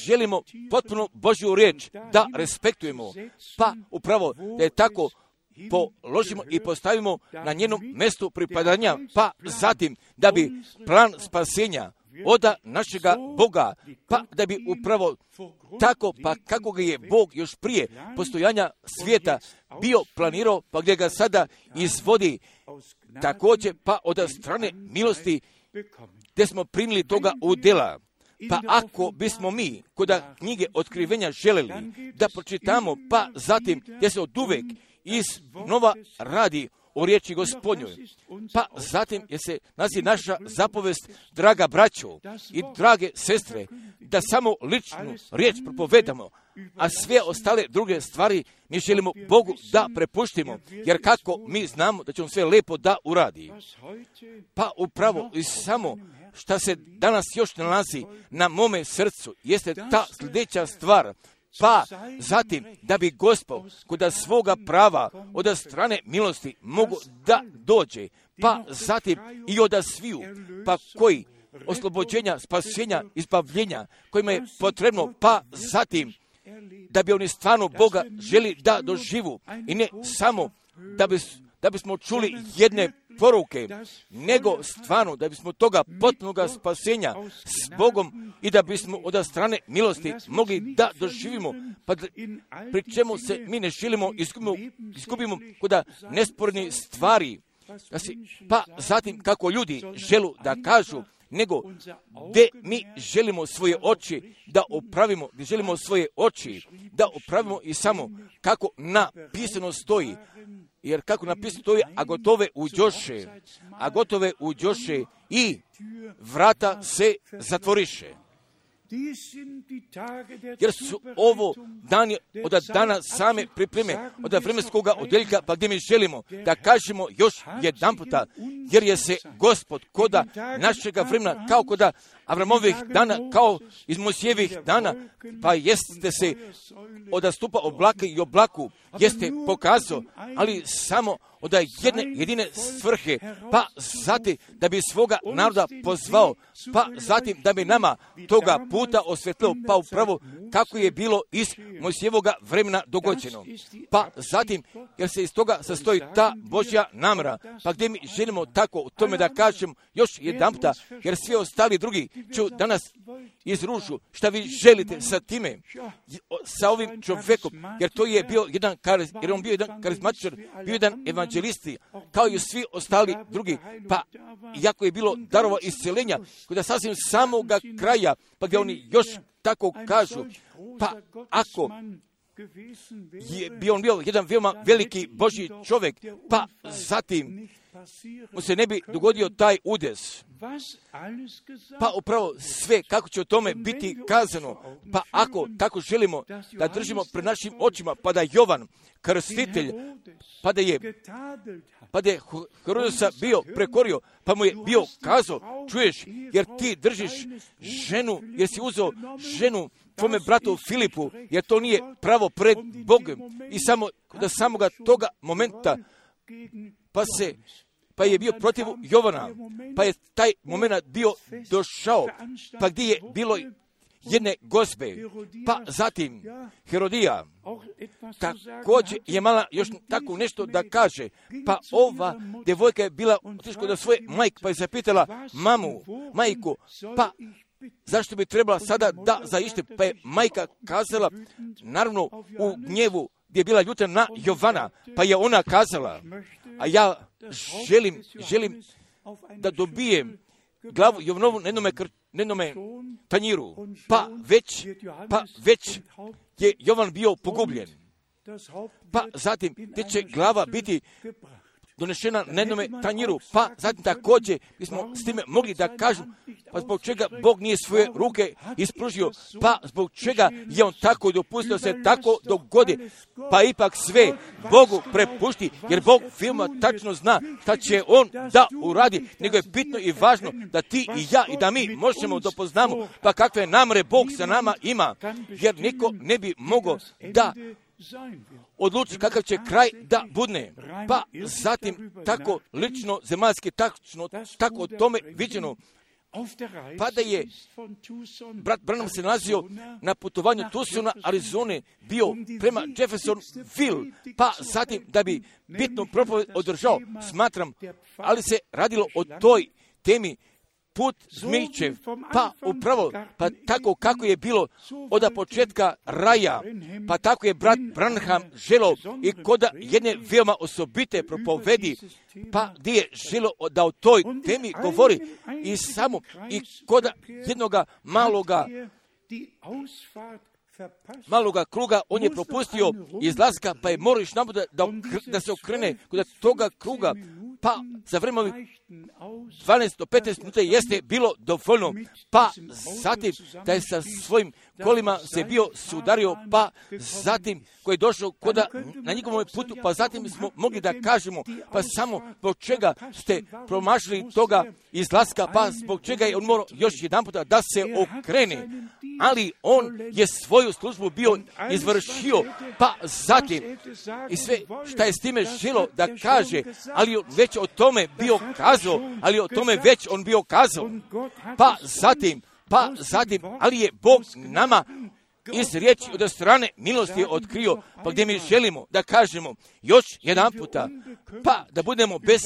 želimo potpuno Božju riječ da respektujemo, pa upravo da je tako položimo i postavimo na njenom mjestu pripadanja, pa zatim da bi plan spasenja oda našega Boga, pa da bi upravo tako, pa kako ga je Bog još prije postojanja svijeta bio planirao, pa gdje ga sada izvodi također, pa od strane milosti gdje smo primili toga u djela. Pa ako bismo mi kod knjige otkrivenja želeli da pročitamo, pa zatim gdje se od uvek iz nova radi o riječi Gospodnjoj, pa zatim je se nazi naša zapovest, draga braćo i drage sestre, da samo ličnu riječ propovedamo, a sve ostale druge stvari mi želimo Bogu da prepuštimo, jer kako mi znamo da će on sve lepo da uradi. Pa upravo i samo šta se danas još nalazi na mome srcu jeste ta sljedeća stvar, pa zatim da bi Gospod kod svoga prava od strane milosti mogu da dođe, pa zatim i od sviju, pa koji oslobođenja, spasenja, izbavljenja kojima je potrebno, pa zatim da bi oni stvarno Boga želi da doživu i ne samo da bi da bismo čuli jedne poruke, nego stvarno da bismo toga potpunoga spasenja s Bogom i da bismo od strane milosti mogli da doživimo, pa da, pri čemu se mi ne želimo izgubimo, izgubimo kod nesporni stvari, da si, pa zatim kako ljudi želu da kažu, nego gdje mi želimo svoje oči da opravimo, gdje želimo svoje oči da opravimo i samo kako napisano stoji, jer kako napisano stoji, a gotove uđoše, a gotove uđoše i vrata se zatvoriše. Jer su ovo dani od dana same pripreme, od vremenskog odjeljka, pa gdje mi želimo da kažemo još jedan puta, jer je se Gospod koda našega vremena, kao koda Avramovih dana, kao iz Mojsijevih dana, pa jeste se od stupa oblaka i oblaku, jeste pokazao, ali samo od jedne jedine svrhe, pa zatim da bi svoga naroda pozvao, pa zatim da bi nama toga puta osvetlio, pa upravo kako je bilo iz Mojsijevoga vremena dogođeno. Pa zatim, jer se iz toga sastoji ta Božja namjera, pa gdje mi želimo tako u tome da kažem još jedan puta, jer svi ostali drugi ću danas izružu šta vi želite sa time, sa ovim čovjekom, jer to je bio jedan, jer on bio jedan karizmatičar, bio jedan evanđelisti, kao i svi ostali drugi, pa jako je bilo darova isceljenja, kada sasvim samoga kraja, pa gdje oni još tako kažu, pa ako je bio on bio jedan veoma veliki Božji čovjek, pa zatim mu se ne bi dogodio taj udes. Pa upravo sve kako će o tome biti kazano, pa ako tako želimo da držimo pred našim očima, pa da Jovan krstitelj, pa da je pa da je Herodosa bio prekorio, pa mu je bio kazao, čuješ, jer ti držiš ženu, jer si uzeo ženu tvome bratu Filipu, jer to nije pravo pred Bogom, i samo da samoga toga momenta pa se pa je bio protiv Jovana, pa je taj moment bio došao, pa gdje je bilo jedne gospe, pa zatim Herodija, također je mala još tako nešto da kaže, pa ova djevojka je bila otišla do svoje majke, pa je zapitala mamu, majku, pa zašto bi trebala sada da zaište, pa je majka kazala, naravno u gnjevu, gdje je bila ljuta na Jovana, pa je ona kazala, a ja želim, želim da dobijem glavu Jovanovu na jednome, na jednome tanjiru, pa već, pa već je Jovan bio pogubljen. Pa zatim, gdje će glava biti donešena na jednome tanjiru, pa zatim također bismo s time mogli da kažemo, pa zbog čega Bog nije svoje ruke ispružio, pa zbog čega je on tako dopustio se tako dogodi, pa ipak sve Bogu prepušti, jer Bog veoma tačno zna šta će on da uradi, nego je bitno i važno da ti i ja i da mi možemo da poznamo, pa kakve namere Bog sa nama ima, jer niko ne bi mogao da odluči kakav će kraj da budne. Pa zatim tako lično, zemaljski, tačno, tako o tome viđeno. Pa da je brat Branham se nalazio na putovanju Tucsona, Arizone, bio prema Jeffersonville, pa zatim da bi bitnu propoved održao, smatram, ali se radilo o toj temi put zmičev, pa upravo, pa tako kako je bilo od početka raja, pa tako je brat Branham želio i koda jedne veoma osobite propovedi, pa gdje je želio da o toj temi govori i samo i koda jednoga maloga maloga kruga, on je propustio izlaska, pa je morao još nabuda da, da se okrene kod toga kruga, pa za vreme dvanaest do petnaest minuta jeste bilo dovoljno, pa zatim da je sa svojim kolima se bio sudario, pa zatim koji je došao koda na njihovom putu, pa zatim smo mogli da kažemo, pa samo zbog čega ste promašili toga izlaska, pa zbog čega je on morao još jedan puta da se okrene, ali on je svoju službu bio izvršio, pa zatim i sve šta je s time želo da kaže, ali već o tome bio kazao, ali o tome već on bio kazao, pa zatim, pa zatim, ali je Bog nama iz riječi od strane milosti otkrio, pa gdje mi želimo da kažemo još jedan puta, pa da budemo bez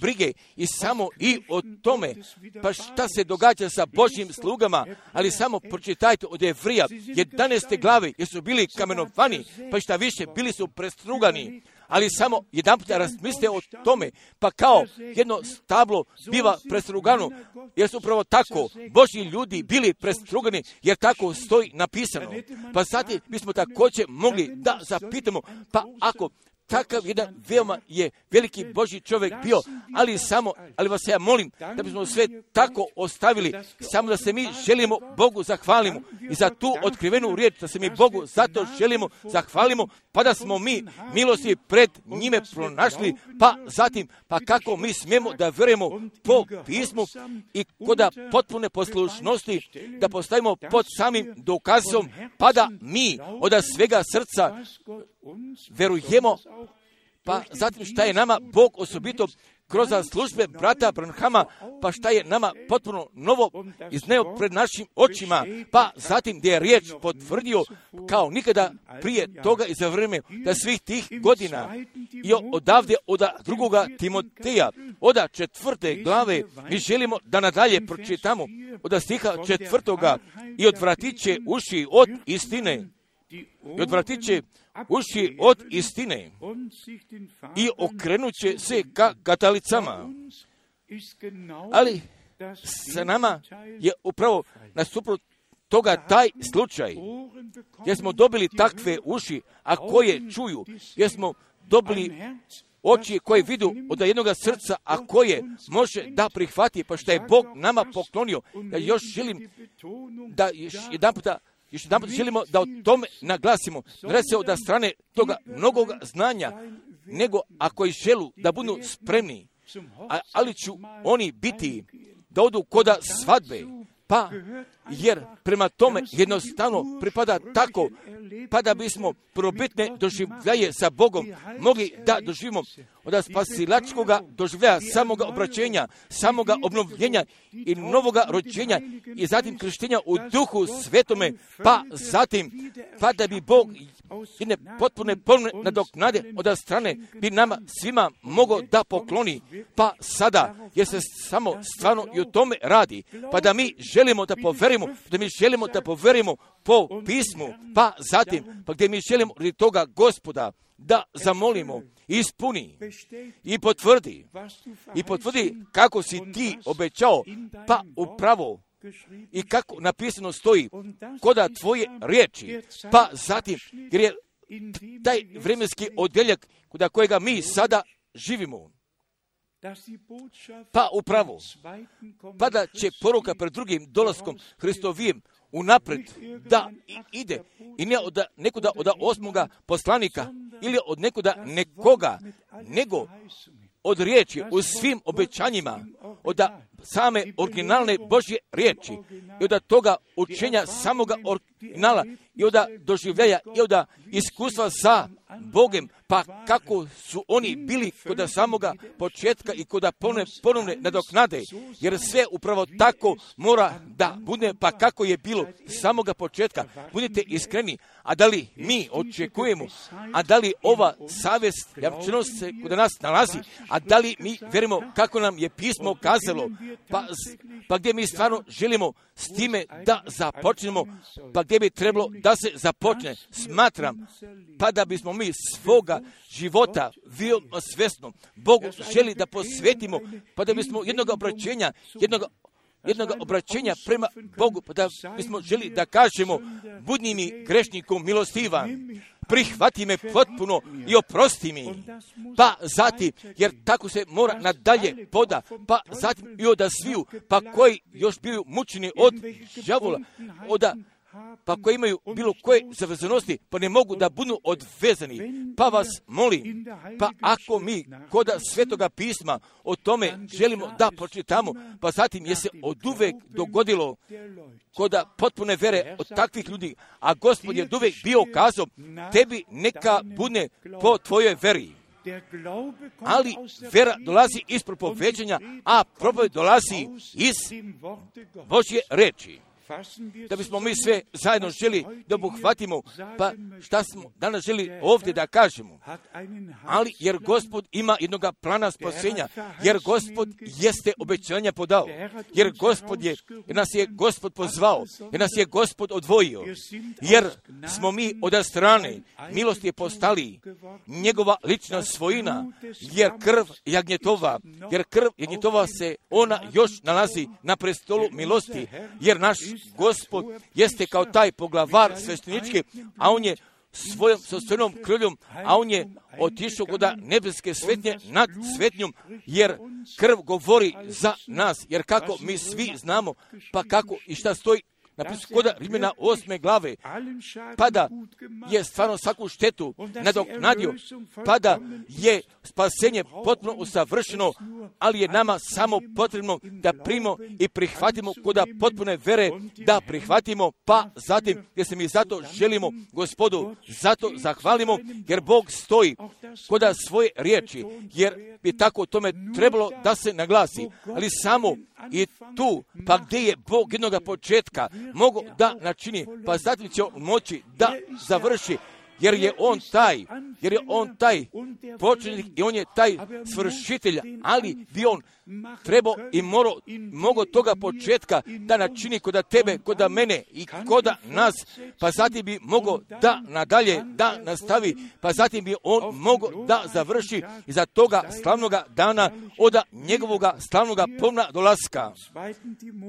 brige i samo i o tome, pa šta se događa sa Božjim slugama, ali samo pročitajte od Jevrija, jedanaeste glave, jer su bili kamenovani, pa šta više, bili su prestrugani, ali samo jedan puta razmislite o tome, pa kao jedno stablo biva prestrugano, jer su upravo tako Božji ljudi bili prestrugani, jer tako stoji napisano. Pa zatim bismo također mogli da zapitamo, pa ako takav jedan veoma je veliki Božji čovjek bio, ali samo, ali vas ja molim da bismo sve tako ostavili, samo da se mi želimo Bogu zahvalimo i za tu otkrivenu riječ, da se mi Bogu zato želimo zahvalimo, pa da smo mi milosti pred njime pronašli, pa zatim, pa kako mi smijemo da vjerujemo po pismu i koda potpune poslušnosti da postavimo pod samim dokazom, pa da mi od svega srca verujemo, pa zatim šta je nama Bog osobito kroz službe brata Branhama, pa šta je nama potpuno novo izneo pred našim očima, pa zatim gdje je riječ potvrdio kao nikada prije toga i za vrijeme da svih tih godina i odavde od drugoga Timoteja, od četvrte glave, mi želimo da nadalje pročitamo od stiha četvrtoga i odvratit će uši od istine, i odvratit će uši od istine i okrenut će se ka katalicama. Ali sa nama je upravo nasuprot toga taj slučaj, jer smo dobili takve uši, a koje čuju, jer smo dobili oči koje vidu od jednog srca, a koje može da prihvati, pa što je Bog nama poklonio. Ja još želim da još jedan puta Još jedan put želimo da o tome naglasimo. Ne radi se od strane toga mnogog znanja, nego ako i želu da budu spremni, a, ali ću oni biti da odu koda svadbe, pa jer prema tome jednostavno pripada tako, pa da bismo probitne doživljaje sa Bogom mogli da doživimo od spasilačkoga doživljaja, samoga obraćenja, samoga obnovljenja i novoga rođenja i zatim krštenja u Duhu Svetome, pa zatim, pa da bi Bog jedne potpune polne nadoknade od strane bi nama svima mogao da pokloni, pa sada, jer se samo stvarno i o tome radi, pa da mi želimo da poverimo, da mi želimo da poverimo po pismu, pa zatim, pa gdje mi želimo radi toga Gospoda da zamolimo, ispuni i potvrdi, i potvrdi kako si ti obećao, pa upravo i kako napisano stoji koda tvoje riječi, pa zatim, jer je taj vremenski odjeljak kod kojega mi sada živimo, pa upravo, pa da će poruka pred drugim dolaskom Hristovijem unapred da ide i ne od nekoga od osmoga poslanika ili od nekoga nekoga, nego od riječi u svim obećanjima, od same originalne Božje riječi i od toga učenja samoga originala i od doživljaja i od iskustva sa Bogem, pa kako su oni bili kod samoga početka i kod ponovne, ponovne nadoknade, jer sve upravo tako mora da bude, pa kako je bilo samoga početka. Budite iskreni, a da li mi očekujemo, a da li ova savjest javčanost se kod nas nalazi, a da li mi verimo kako nam je pismo kazalo, pa, pa gdje mi stvarno želimo s time da započnemo, pa gdje bi trebalo da se započne, smatram, pa da bismo mi svoga života veoma svjesno Bogu želi da posvetimo, pa da bismo jednog obraćenja, jednog jednog obraćenja prema Bogu, pa da bismo želi da kažemo, budi mi grešnikom milostivan, prihvati me potpuno i oprosti mi, pa zatim, jer tako se mora nadalje poda, pa zatim i od sviju, pa koji još bili mučeni od đavola, od pa koji imaju bilo koje zavezanosti, pa ne mogu da budu odvezani. Pa vas molim, pa ako mi kod Svetoga pisma o tome želimo da pročitamo, pa zatim je se oduvek dogodilo kod potpune vere od takvih ljudi, a Gospod je oduvek bio kazao, tebi neka bude po tvojoj veri. Ali vera dolazi iz propoveđenja, a propoved dolazi iz Božje reči. Da bismo mi sve zajedno želi da obuhvatimo, pa šta smo danas želi ovdje da kažemo. Ali jer Gospod ima jednoga plana spasenja, jer Gospod jeste obećanja podao, jer Gospod je, jer nas je Gospod pozvao, jer nas je Gospod odvojio, jer smo mi od strane milosti je postali njegova lična svojina, jer krv jagnjetova, jer krv jagnjetova se ona još nalazi na prestolu milosti, jer naš Gospod jeste kao taj poglavar sveštenički, a on je svojom svojom krvljom, a on je otišao kod nebeske svetnje nad svetnjom, jer krv govori za nas, jer kako mi svi znamo, pa kako i šta stoji napisano kod Rimljana osme glave, pa da je stvarno svaku štetu nadoknadio, pa da je spasenje potpuno usavršeno, ali je nama samo potrebno da primimo i prihvatimo kod potpune vere, da prihvatimo, pa zatim, jer se mi zato želimo Gospodu, zato zahvalimo, jer Bog stoji kod svoje riječi, jer bi tako tome trebalo da se naglasi, ali samo i tu, pa gdje je Bog jednoga početka mogu da načini, pa zatim će on moći da završi, jer je on taj, jer je on taj početnik i on je taj svršitelj, ali bi on trebao i morao, mogo toga početka da načini kod tebe, kod mene i kod nas, pa zatim bi mogao da nadalje, da nastavi, pa zatim bi on mogao da završi iza toga slavnoga dana od njegovoga slavnoga pomna dolaska.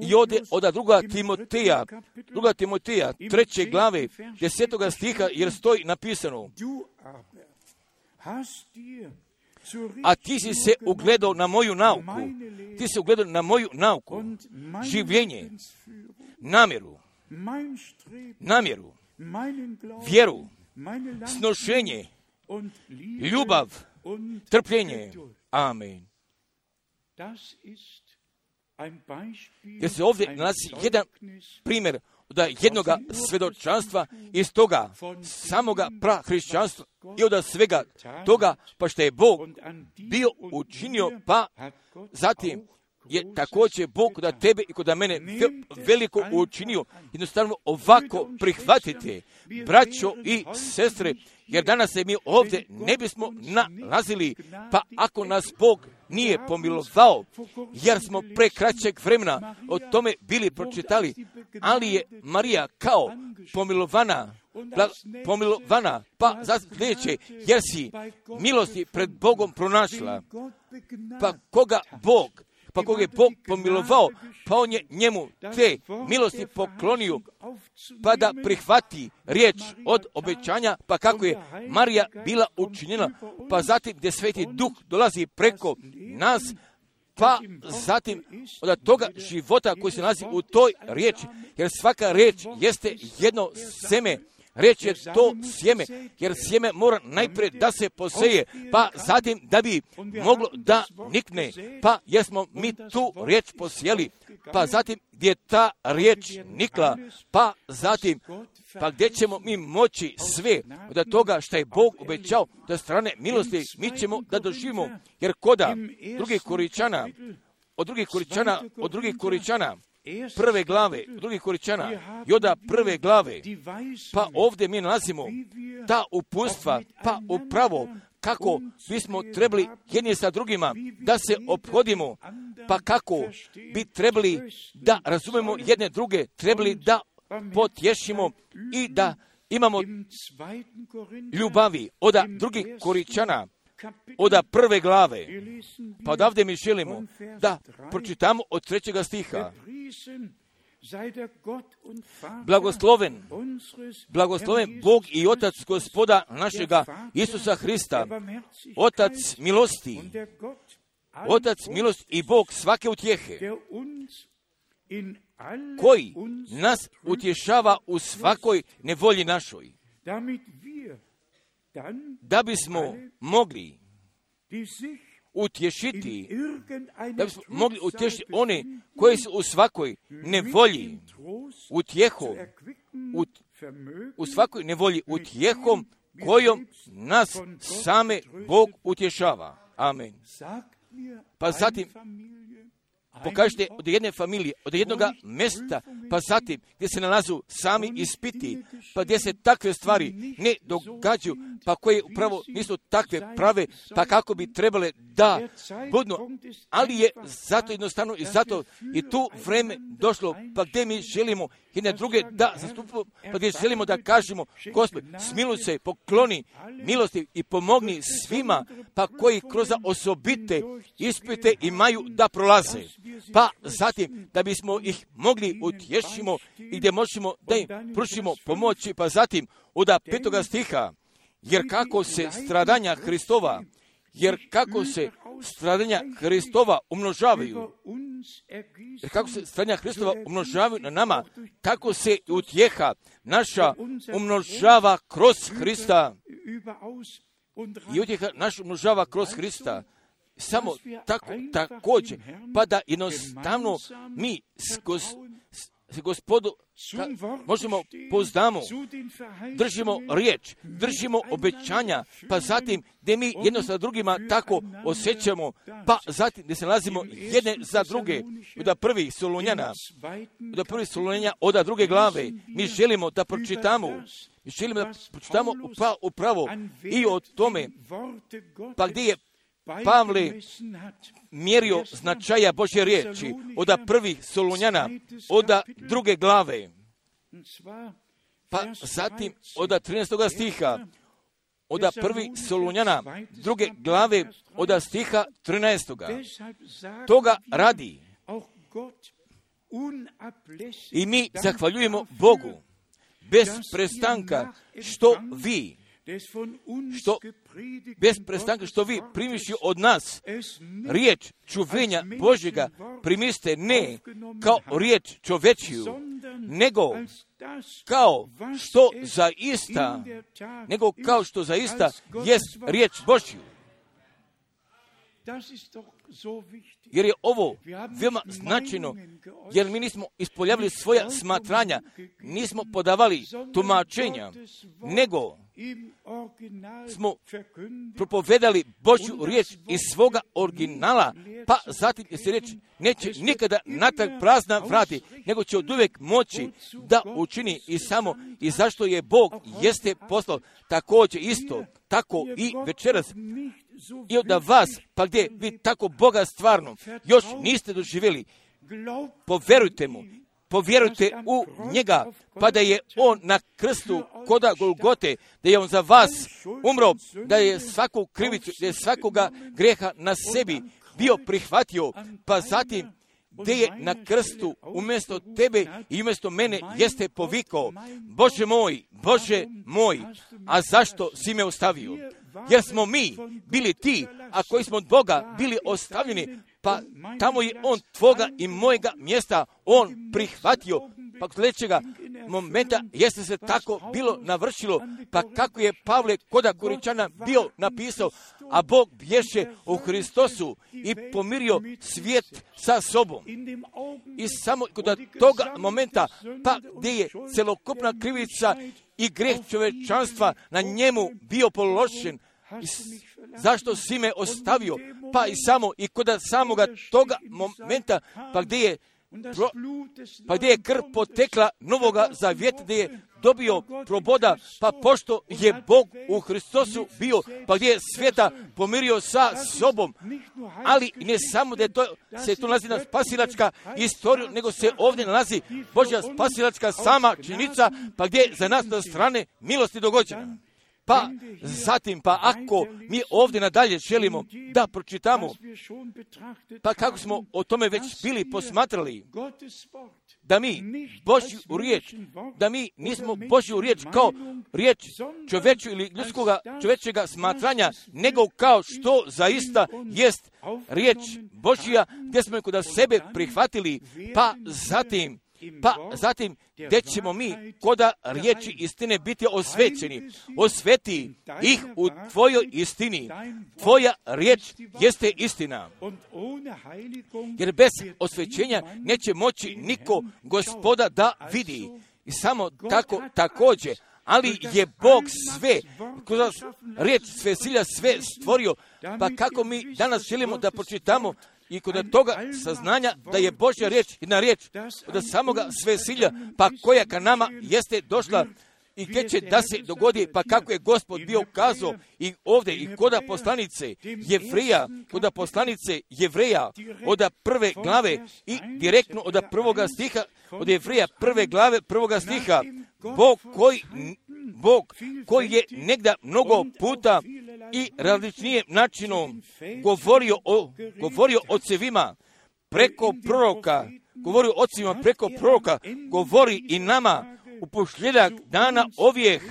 I ode od druga Timoteja, druga Timoteja, treće glave, desetoga stiha, jer stoji napisano, a ti si se ugledao na moju nauku, ti si ugledao na moju nauku, življenje, namjeru, namjeru, vjeru, snošenje, ljubav, trpljenje. Amen. Jer se ovdje nalazi jedan primjer od jednoga svjedočanstva iz toga samoga prahrišćanstva i od svega toga, pa što je Bog bio učinio, pa zatim je također Bog kod tebe i kod mene veliko učinio. Jednostavno ovako prihvatite, braćo i sestre, jer danas se mi ovdje ne bismo nalazili, pa ako nas Bog nije pomilovao, jer smo pre kraćeg vremena o tome bili pročitali, ali je Marija kao pomilovana, pomilovana, pa za sljedeće, jer si milosti pred Bogom pronašla, pa koga Bog, pa koga je Bog pomilovao, pa on je njemu te milosti poklonio, pa da prihvati riječ od obećanja, pa kako je Marija bila učinjena, pa zatim gdje Sveti Duh dolazi preko nas, pa zatim od toga života koji se nalazi u toj riječi, jer svaka riječ jeste jedno seme. Riječ je to sjeme, jer sjeme mora najprije da se poseje, pa zatim da bi moglo da nikne, pa jer smo mi tu riječ posijeli, pa zatim gdje je ta riječ nikla, pa zatim, pa gdje ćemo mi moći sve od toga što je Bog obećao da strane milosti mi ćemo da doživimo, jer koda drugih Koričana, od drugih Koričana, od drugih Koričana, prve glave, drugih Koričana, Joda prve glave, pa ovdje mi nalazimo ta uputstva, pa upravo kako bismo trebali jedni sa drugima da se ophodimo, pa kako bi trebali da razumemo jedne druge, trebali da potješimo i da imamo ljubavi od drugih Koričana, od prve glave. Pa odavde mi želimo da pročitamo od trećega stiha. Blagosloven, blagosloven Bog i Otac Gospoda našega Isusa Hrista, Otac milosti, Otac milosti i Bog svake utjehe, koji nas utješava u svakoj nevolji našoj, da bismo mogli utješiti, da bismo mogli utješiti one koji su u svakoj nevolji utjehom, u, u svakoj nevolji utjehom kojom nas same Bog utješava. Amen. Pa zatim pokažite od jedne familije, od jednog mjesta, pa zatim gdje se nalazu sami ispiti, pa gdje se takve stvari ne događaju, pa koje upravo nisu takve prave, pa kako bi trebale da budu, ali je zato jednostavno i zato i tu vreme došlo, pa gdje mi želimo jedne druge da zastupimo, pa gdje želimo da kažemo, Gospod, smiluj se, pokloni milosti i pomogni svima, pa koji kroz osobite ispite imaju da prolaze. Pa zatim, da bismo ih mogli utješimo i gdje možemo da im pružimo pomoći, pa zatim od petoga stiha, jer kako se stradanja Hristova, jer kako se stradanja Hristova umnožavaju, jer kako se stradanja Hristova umnožavaju na nama, tako se utjeha naša umnožava kroz Hrista. I utjeha naša umnožava kroz Hrista. Samo tako, također, pa da jednostavno mi s, gos, s gospodu ka, možemo poznamo, držimo riječ, držimo obećanja, pa zatim gdje mi jedno sa drugima tako osjećamo, pa zatim gdje se nalazimo jedne za druge, od prvih Solunjana, od prvih Solunjana, od druge glave, mi želimo da pročitamo, mi želimo da pročitamo upravo, upravo i o tome, pa gdje je Pavle mjerio značaja Božje riječi od prvih Solunjana, od druge glave, pa zatim od trinaestog stiha, od prvih Solunjana, druge glave, od stiha trinaestog. Toga radi i mi zahvaljujemo Bogu bez prestanka što vi što bez prestanka što vi primiši od nas riječ čuvenja Božjega primiste ne kao riječ čovečiju, nego kao što zaista, nego kao što zaista jest riječ Božju. Jer je ovo veoma značajno, jer mi nismo ispoljavili svoja smatranja, nismo podavali tumačenja, nego smo propovedali Božju riječ iz svoga originala, pa zatim se riječ neće nikada natrag prazna vrati, nego će od uvijek moći da učini i samo i zašto je Bog jeste poslao također isto, tako i večeras. I od vas, pa gdje vi tako Boga stvarno još niste doživjeli, povjerujte mu, povjerujte u njega, pa da je on na krstu koda Golgote, da je on za vas umro, da je svaku krivicu, da je svakoga greha na sebi bio prihvatio, pa zatim gdje je na krstu umjesto tebe i umjesto mene jeste povikao, Bože moj, Bože moj, a zašto si me ostavio? Jer smo mi bili ti, a koji smo od Boga bili ostavljeni, pa tamo je on tvoga i mojega mjesta on prihvatio. Pa kod sljedećega momenta jeste se tako bilo navršilo, pa kako je Pavle koda Koričana bio napisao, a Bog bješe u Hristosu i pomirio svijet sa sobom. I samo kod toga momenta, pa gdje je celokupna krivica i greh čovečanstva na njemu bio položen, zašto si me ostavio? Pa i samo i kod samoga toga momenta, pa gdje je Pro, pa gdje je krv potekla novoga zavjeta, gdje je dobio proboda, pa pošto je Bog u Hristosu bio, pa gdje je svijeta pomirio sa sobom. Ali ne samo da je to, se tu nalazi na spasilačka istorija, nego se ovdje nalazi Božja spasilačka sama činjenica, pa gdje je za nas na strane milosti dogođena. Pa zatim, pa ako mi ovdje nadalje želimo da pročitamo, pa kako smo o tome već bili posmatrali, da mi Božju riječ, da mi nismo Božju riječ kao riječ čovječu ili ljudskoga čovječega smatranja, nego kao što zaista jest riječ Božja, gdje smo je kod sebe prihvatili, pa zatim, Pa zatim, gdje ćemo mi koda riječi istine biti osvećeni, osveti ih u tvojoj istini. Tvoja riječ jeste istina. Jer bez osvećenja neće moći niko Gospoda da vidi. I samo tako također, ali je Bog sve, kroz riječ sve silja sve stvorio, pa kako mi danas želimo da pročitamo i kod toga saznanja da je Božja riječ jedna riječ od samoga svesilja, pa koja ka nama jeste došla i gdje će da se dogodi, pa kako je Gospod bio ukazao i ovdje i koda poslanice Jevrija, koda poslanice Jevreja od prve glave i direktno od prvoga stiha, od Jevrija prve glave prvoga stiha, Bog koji, Bog koji je negda mnogo puta i različnije načinom govorio o, govorio ocevima preko proroka, govori ocima preko proroka, govori i nama u posljedak dana ovijeh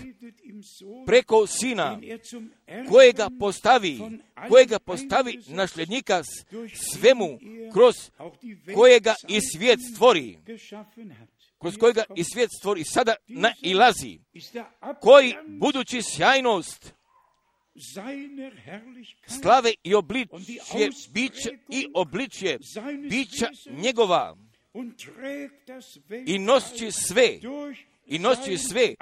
preko sina, kojega postavi, kojega postavi nasljednika svemu, kroz kojega i svijet stvori, kroz kojega i svijet stvori, sada nailazi, koji budući sjajnost slave i obličje bića i obličje bića njegova i nosi sve i nosi sve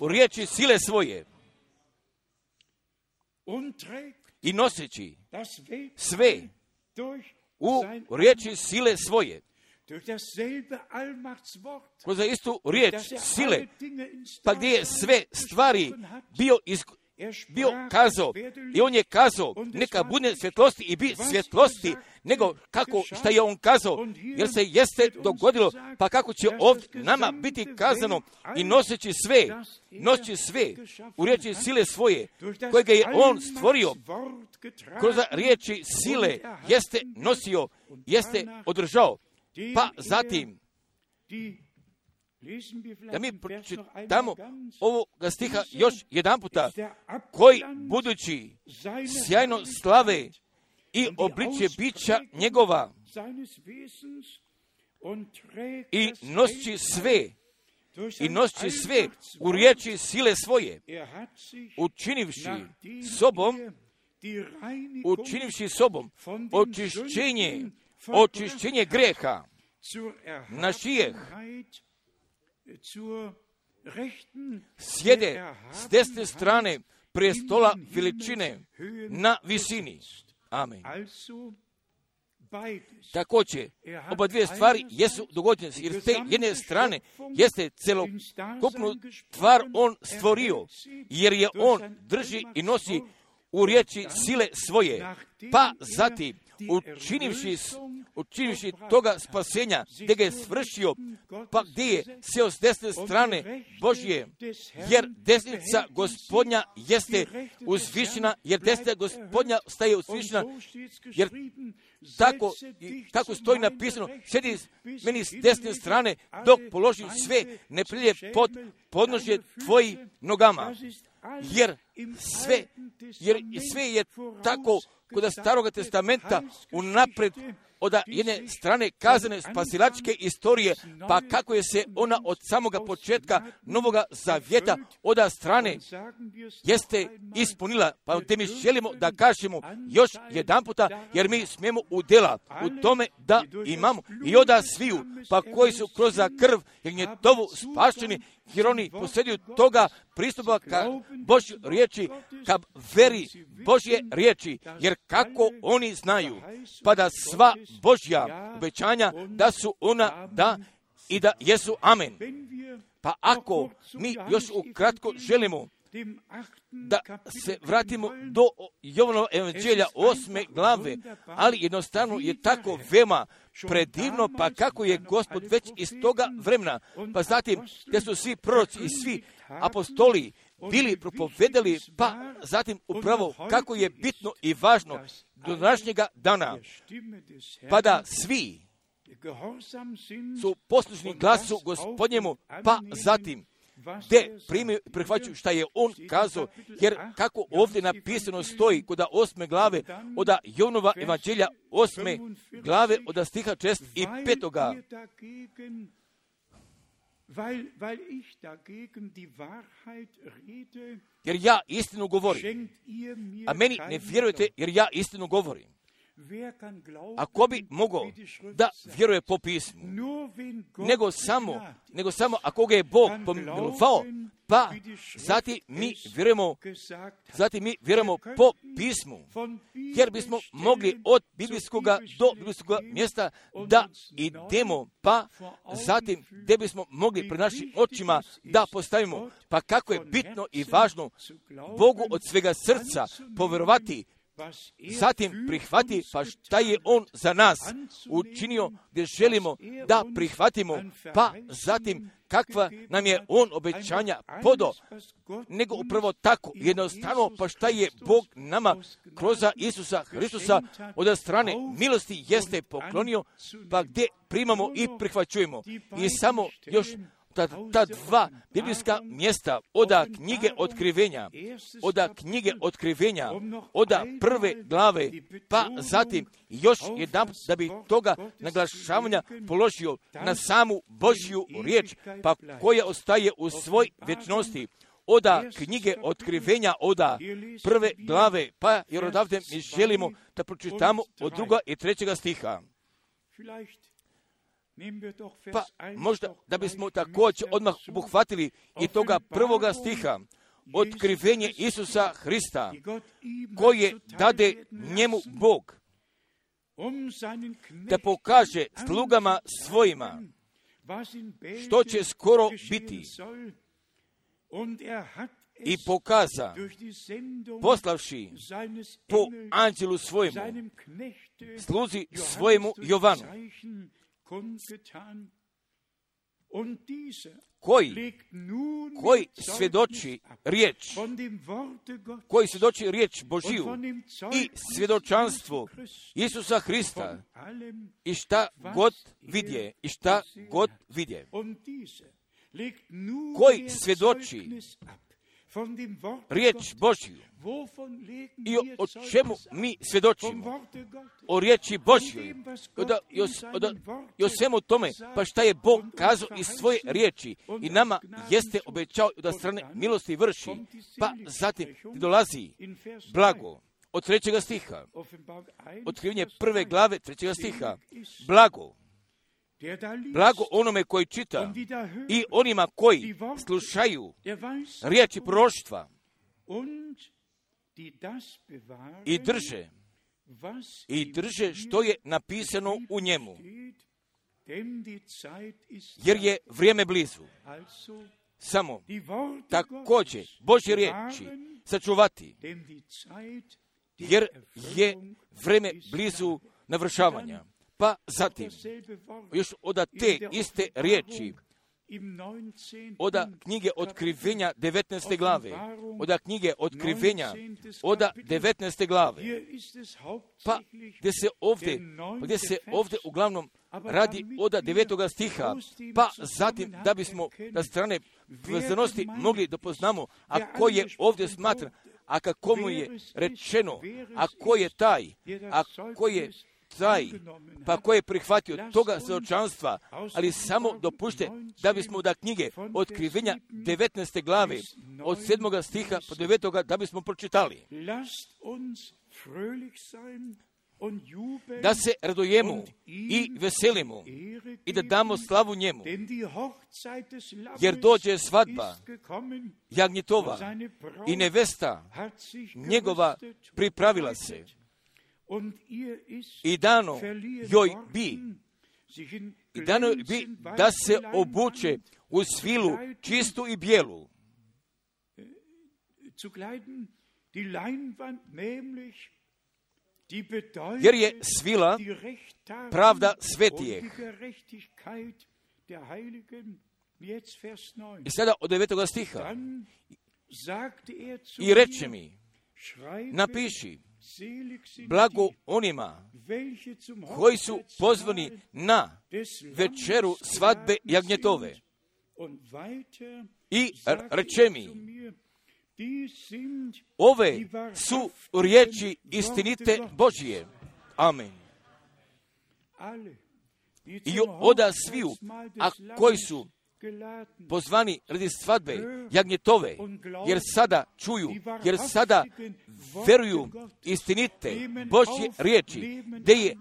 u riječi sile svoje i noseći sve u riječi sile svoje kroz istu riječ sile, pa gdje je sve stvari bio iz bio kazao i on je kazao neka bude svjetlosti i bi svjetlosti, nego kako šta je on kazao, jer se jeste dogodilo, pa kako će ovdje nama biti kazano i noseći sve, noseći sve u riječi sile svoje, kojega je on stvorio, kroz riječi sile jeste nosio, jeste održao, pa zatim da mi pročitamo ovoga stiha još jedan puta, koji budući sjajno slave i obličje bića njegova i nosi sve i nosi sve u riječi sile svoje, učinivši sobom učinivši sobom očišćenje, očišćenje greha, našijeh, sjede s desne strane prestola veličine na visini. Amen. Također, oba dvije stvari jesu dogođene, jer s te jedne strane jeste celokupnu stvar on stvorio, jer je on drži i nosi u riječi sile svoje, pa zatim učinivši, učinivši toga spasenja, gdje ga je svršio, pa gdje je sjeo s desne strane Božje, jer desnica Gospodnja jeste uzvišena, jer desnica Gospodnja staje uzvišena, jer tako, tako stoji napisano, sjedi meni s desne strane, dok položim sve neprilje pod podnožje tvojih nogama, jer sve, jer sve je tako kod Staroga testamenta unapred od jedne strane kazane spasilačke istorije, pa kako je se ona od samoga početka Novoga Zavjeta od strane jeste ispunila, pa te mi želimo da kažemo još jedan puta, jer mi smijemo udjela u tome da imamo i oda sviju, pa koji su kroz krv jer njetovu spašeni, jer oni posjeduju toga pristupa ka Božju riječi, ka veri Božje riječi, jer kako oni znaju, pa da sva Božja obećanja da su ona da i da jesu amen. Pa ako mi još ukratko želimo da se vratimo do Jovanova evanđelja osme glave, ali jednostavno je tako veoma predivno, pa kako je Gospod već iz toga vremena, pa zatim gdje su svi proroci i svi apostoli bili propovedali, pa zatim upravo kako je bitno i važno do današnjega dana, pa da svi su poslušni glasu Gospodnjemu, pa zatim gdje primaju i prihvaćaju šta je on kazao, jer kako ovdje napisano stoji kod osme glave od Jovanova evanđelja osme glave od stiha šest i petoga. Jer ja istinu govorim, a meni ne vjerujete jer ja istinu govorim. Ako bi mogao da vjeruje po pismu, nego samo, nego samo ako ga je Bog pomilovao, pa zatim mi vjerujemo, zatim mi vjerujemo po pismu, jer bismo mogli od biblijskog do biblijskog mjesta da idemo, pa zatim gdje bismo mogli pred našim očima da postavimo, pa kako je bitno i važno Bogu od svega srca povjerovati, zatim prihvati pa šta je on za nas učinio gdje želimo da prihvatimo, pa zatim kakva nam je on obećanja podo, nego upravo tako jednostavno pa šta je Bog nama kroz Isusa Hristusa od strane milosti jeste poklonio, pa gdje primamo i prihvaćujemo. I samo još Ta, ta dva biblijska mjesta oda knjige otkrivenja, oda knjige otkrivenja, oda prve glave, pa zatim još jedan da bi toga naglašavanja položio na samu Božju riječ, pa koja ostaje u svoj vječnosti. Oda knjige otkrivenja, oda prve glave, pa jer odavde mi želimo da pročitamo od druga i trećega stiha. Pa možda da bismo također odmah obuhvatili i toga prvoga stiha, otkrivenje Isusa Hrista, koje dade njemu Bog, da pokaže slugama svojima što će skoro biti. I pokaza, poslavši po anđelu svojemu, sluzi svojemu Jovanu, koji, koji svjedoči riječ, koji svjedoči riječ Božiju i svjedočanstvo Isusa Hrista i šta god vidje, i šta god vidje, koji svjedoči riječ Božju. I o, o čemu mi svjedočimo? O riječi Božjoj. I o, o, o svemu tome, pa šta je Bog kazao iz svoje riječi i nama jeste obećao da strane milosti vrši, pa zatim dolazi blago od trećega stiha. Otkrivenje prve glave trećega stiha. Blago. Blago onome koji čita i onima koji slušaju riječi proroštva i drže, i drže što je napisano u njemu, jer je vrijeme blizu. Samo također Božje riječi sačuvati, jer je vrijeme blizu navršavanja. Pa zatim, još od te iste riječi, od knjige Otkrivenja devetnaeste glave, od knjige Otkrivenja, od devetnaeste glave, pa gdje se ovdje, gdje se ovdje uglavnom radi od devetoga stiha, pa zatim da bismo na strane vezanosti mogli da poznamo, a ko je ovdje smatran, a kako mu je rečeno, a ko je taj, a ko je taj, pa ko je prihvatio toga svjedočanstva, ali samo dopušte da bismo da knjige Otkrivenja devetnaeste glave od sedmoga stiha po devetoga da bismo pročitali. Da se radujemo i veselimo i da damo slavu njemu, jer dođe svadba jagnjetova i nevesta njegova pripravila se. I dano joj bi, i dano joj bi da se obuče u svilu čistu i bijelu. Jer je svila pravda svetijeh. I sada od devetoga stiha. I reče mi, napiši, blago onima koji su pozvani na večeru svadbe jagnjetove. I reče mi, ove su riječi istinite Božije. Amen. I oda sviju, a koji su pozvani radi svadbe jagnjetove, jer sada čuju, jer sada veruju istinite Božje riječi, da je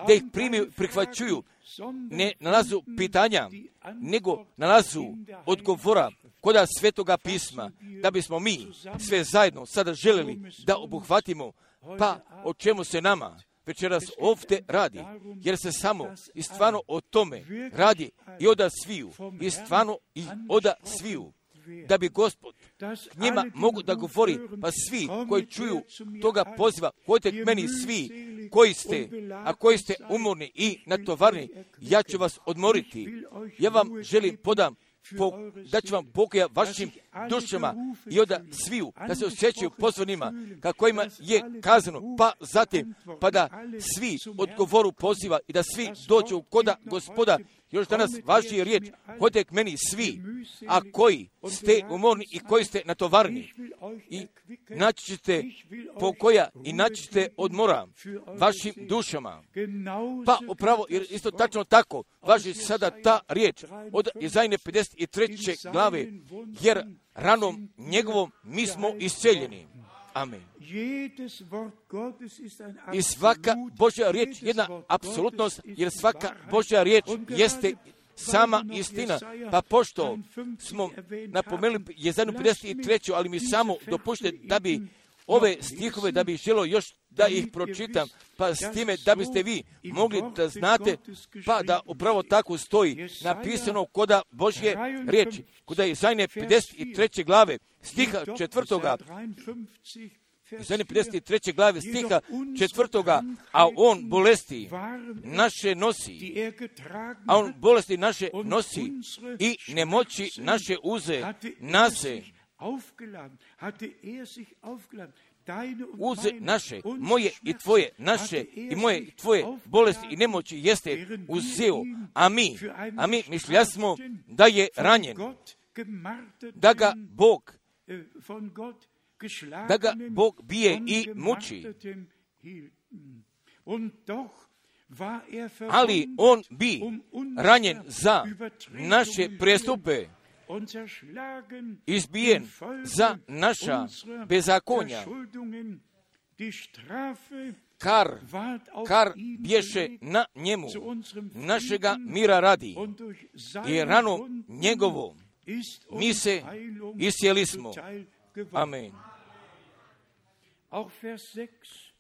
da ih primiju, prihvaćuju, ne nalazu pitanja, nego nalazu odgovora koda Svetoga pisma, da bismo mi sve zajedno sada željeli da obuhvatimo, pa o čemu se nama večeras ovdje radi, jer se samo i stvarno o tome radi i oda sviju, i stvarno i oda sviju, da bi Gospod k njima mogu da govori, pa svi koji čuju toga poziva, hodite k meni svi koji ste, a koji ste umorni i natovarni, ja ću vas odmoriti. Ja vam želim podam, po, da ću vam pokoja vašim dušama i oda sviju, da se osjećaju pozvanima, kako ima je kazano, pa zatim, pa da svi odgovoru poziva i da svi dođu koda Gospoda. Još danas važi riječ, hodite k meni svi, a koji ste umorni i koji ste natovarni. I naći ćete pokoja i naći ćete odmora vašim dušama. Pa upravo, jer isto tačno tako, važi sada ta riječ od Izajne pedeset treće glave, jer ranom njegovom mi smo isceljeni. Amen. I svaka Božja riječ je jedna apsolutnost, jer svaka Božja riječ jeste sama istina. Pa pošto smo napomenuli Jezajnu pedeset treću, ali mi samo dopušte da bi ove stihove, da bi želio još da ih pročitam, pa s time da biste vi mogli da znate, pa da upravo tako stoji napisano koda Božje riječi, koda Jezajne pedeset treće glave, stiha četvrtoga, Jezajne pedeset treće glave, stiha četvrtoga, a on bolesti naše nosi, a on bolesti naše nosi i nemoći naše uze nase. Uze naše, moje i tvoje, naše i moje i tvoje bolesti i nemoći jeste uzeo, a mi, a mi mišlja smo da je ranjen, da ga Bog, da ga Bog bije i muči. Ali on bi ranjen za naše prestupe, izbijen za naša bezakonja, Kar, kar bješe na njemu, našega mira radi, i ranom njegovom mi se iscijeli smo. Amen.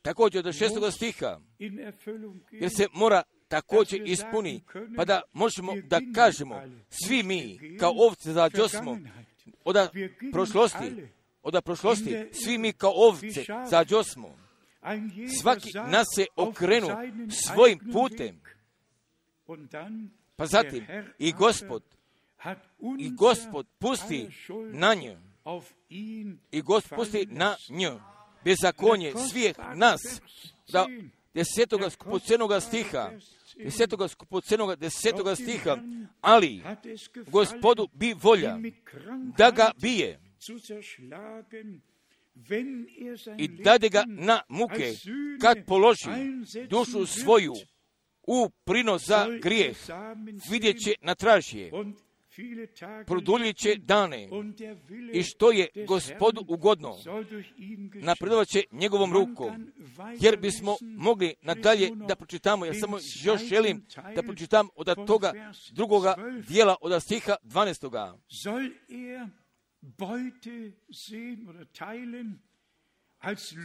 Također do šestoga stiha, jer se mora također ispuni, pa da možemo da kažemo, svi mi kao ovce zađosmo od prošlosti, od prošlosti, svi mi kao ovce zađosmo. Svaki nas se okrenu svojim putem. Pa zatim i Gospod, i Gospod pusti na nju, i Gospod pusti na nju bezakonje svih nas, da desetoga skupocenoga stiha, desetoga skupocenoga desetoga stiha, ali Gospodu bi volja da ga bije i dade ga na muke kad položi dušu svoju u prinos za grijeh, vidjet će na tražje, produljit će dane i što je Gospodu ugodno, napredovat će njegovom rukom, jer bismo mogli nadalje da pročitamo, jer samo još želim da pročitam od toga drugoga dijela od stiha dvanaestoga.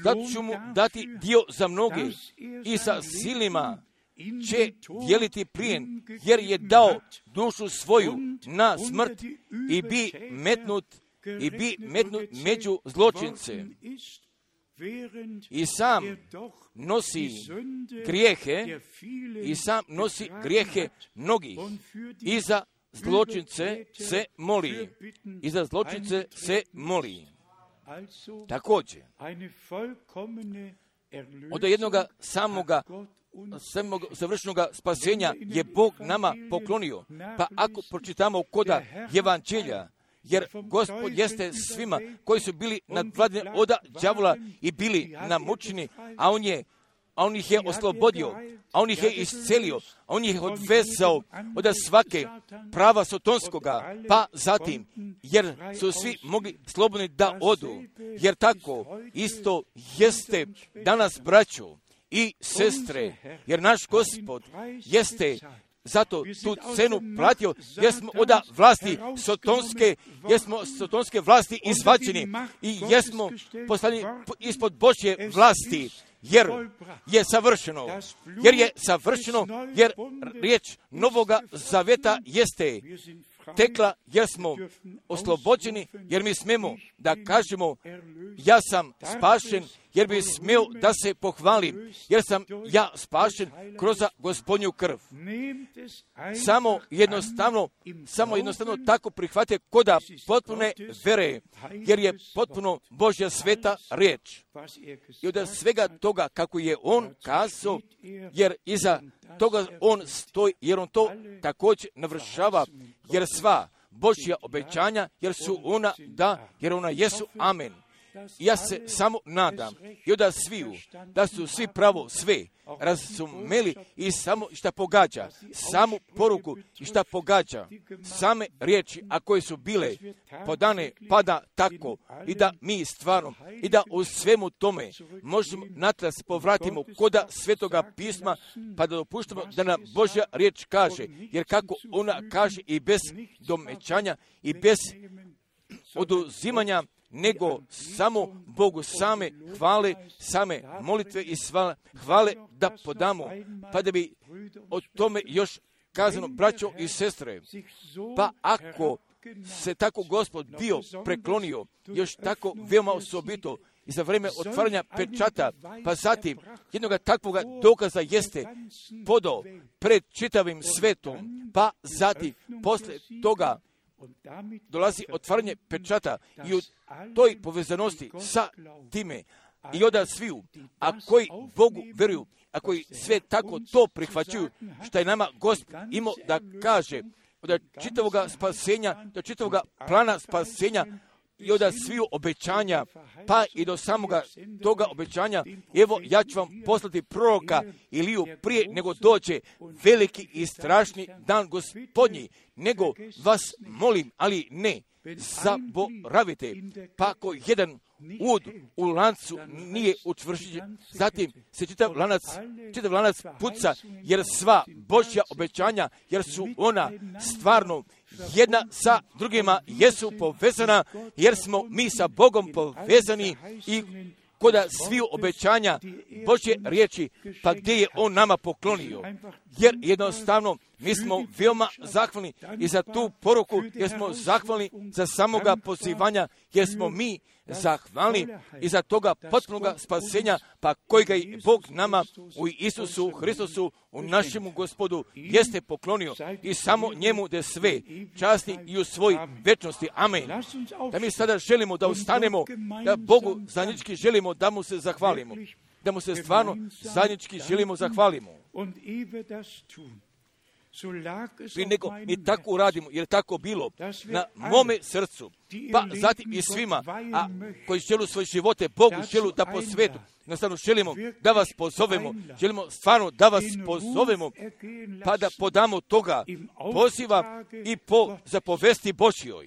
Sad ću mu dati dio za mnoge i sa silnima će dijeliti plijen, jer je dao dušu svoju na smrt i bi metnut i bi metnut među zločince. I sam nosi grijehe, i sam nosi grijehe mnogih. I za zločince se moli. I za zločince se moli. Također, od jednoga samoga samog završnog spasenja je Bog nama poklonio. Pa ako pročitamo koda Evanđelja, jer Gospod jeste svima koji su bili nadvladani od đavola i bili namučeni, a on je a on ih je oslobodio, a on ih je iscelio, a on ih je odvezao od svake prava sotonskoga, pa zatim, jer su svi mogli slobodni da odu, jer tako isto jeste danas, braćo i sestre, jer naš Gospod jeste zato tu cenu platio, jer smo od vlasti sotonske, jer smo sotonske vlasti izvađeni i jer smo poslani ispod Božje vlasti, jer je savršeno, jer je savršeno, jer riječ Novoga Zaveta jeste tekla, jer smo oslobođeni, jer mi smemo da kažemo, ja sam spašen, jer bi smio da se pohvalim, jer sam ja spašen kroz Gospodnju krv. Samo jednostavno, samo jednostavno tako prihvate koda potpune vere, jer je potpuno Božja sveta riječ. I od svega toga kako je on kazao, jer iza toga on stoji, jer on to također navršava, jer sva Božja obećanja, jer su ona da, jer ona jesu amen. Ja se samo nadam i da sviju, da su svi pravo sve razumeli i samo šta pogađa, samu poruku i šta pogađa, same riječi, a koje su bile podane, pada tako i da mi stvarno i da u svemu tome možemo natrag se povratimo koda Svetoga pisma, pa da dopuštamo da nam Božja riječ kaže, jer kako ona kaže i bez domećanja i bez oduzimanja, nego samo Bogu same hvale, same molitve i sva, hvale da podamo, pa da bi o tome još kazano, braćo i sestre, pa ako se tako Gospod bio preklonio, još tako veoma osobito i za vrijeme otvaranja pečata, pa zatim jednoga takvoga dokaza jeste podao pred čitavim svetom, pa zatim posle toga dolazi otvaranje pečata i u toj povezanosti sa time i oda sviju, a koji Bogu vjeruju, a koji sve tako to prihvaćuju, što je nama Gospod imao da kaže, od čitavoga spasenja, do čitavoga plana spasenja, i od sviju obećanja, pa i do samoga toga obećanja, evo ja ću vam poslati proroka Iliju prije nego dođe veliki i strašni dan Gospodnji, nego vas molim, ali ne zaboravite, pa ako jedan ud u lancu nije učvršćen, zatim se čitav lanac, čitav lanac puca, jer sva Božja obećanja, jer su ona stvarno jedna sa drugima, jesu povezana, jer smo mi sa Bogom povezani i koda sviju obećanja Božje riječi, pa gdje je On nama poklonio. Jer jednostavno mi smo veoma zahvalni i za tu poruku, jer smo zahvalni za samoga pozivanja, jer smo mi zahvalni i za toga potpunoga spasenja, pa kojega i Bog nama u Isusu Hristusu, u našemu Gospodu, jeste poklonio i samo njemu de sve časti i u svoj večnosti. Amen. Da mi sada želimo da ustanemo, da Bogu zajednički želimo da mu se zahvalimo, da mu se stvarno zajednički želimo zahvalimo. Prije nego mi tako uradimo, jer tako bilo na mome srcu, pa zatim i svima, a koji želu svoje živote Bogu, želu da po svetu, jednostavno želimo da vas pozovemo, želimo stvarno da vas pozovemo, pa da podamo toga poziva i po zapovesti Božjoj,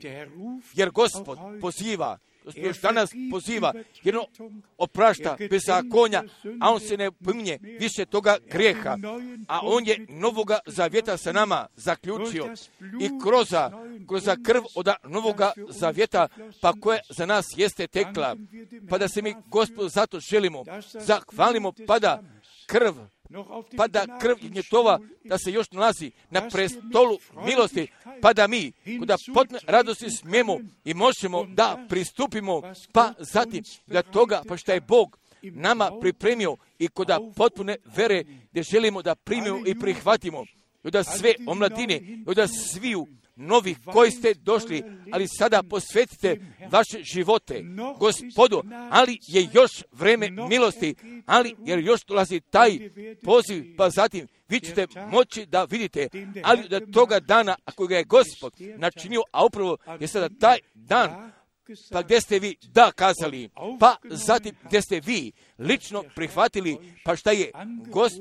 jer Gospod poziva, Gospod još danas poziva, jer on oprašta bezakonja, a on se ne pominje više toga grijeha, a on je novoga zavjeta sa nama zaključio i kroz, kroz krv od novoga zavjeta, pa koja za nas jeste tekla, pa da se mi Gospodu zato želimo, zahvalimo, pa da krv, pa da krv njetova, da se još nalazi na prestolu milosti, pa da mi, kuda potne radosti smijemo i možemo da pristupimo, pa zatim da toga, pa što je Bog nama pripremio i kuda potpune vere, gdje želimo da primimo i prihvatimo, i da sve omladine, i da sviju novih koji ste došli, ali sada posvetite vaše živote Gospodu, ali je još vreme milosti, ali jer još dolazi taj poziv, pa zatim vi ćete moći da vidite, ali da toga dana, ako ga je Gospod načinio, a upravo je sada taj dan, pa gdje ste vi da kazali, pa zatim gdje ste vi lično prihvatili, pa šta je, gos,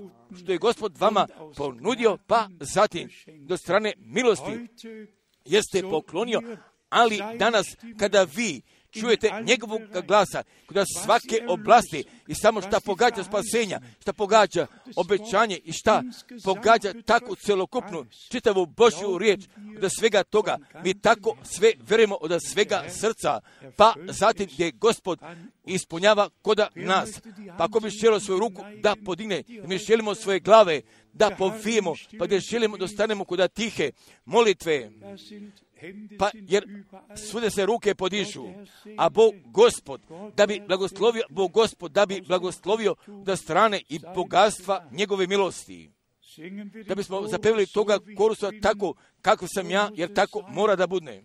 što je Gospod vama ponudio, pa zatim do strane milosti jeste poklonio, ali danas kada vi čujete njegovog glasa, kada svake oblasti i samo šta pogađa spasenja, šta pogađa obećanje i šta pogađa takvu celokupnu čitavu Božju riječ, od svega toga mi tako sve verujemo od svega srca, pa zatim gdje Gospod ispunjava koda nas. Pa ako bi želio svoju ruku da podigne, mi želimo svoje glave da povijemo, pa gdje želimo da stanemo koda tihe molitve, pa jer svude se ruke podižu, a Bog Gospod da bi blagoslovio, Bog Gospod da bi blagoslovio da strane i bogatstva njegove milosti. Da bismo zapevili toga korusa tako kako sam ja, jer tako mora da bude.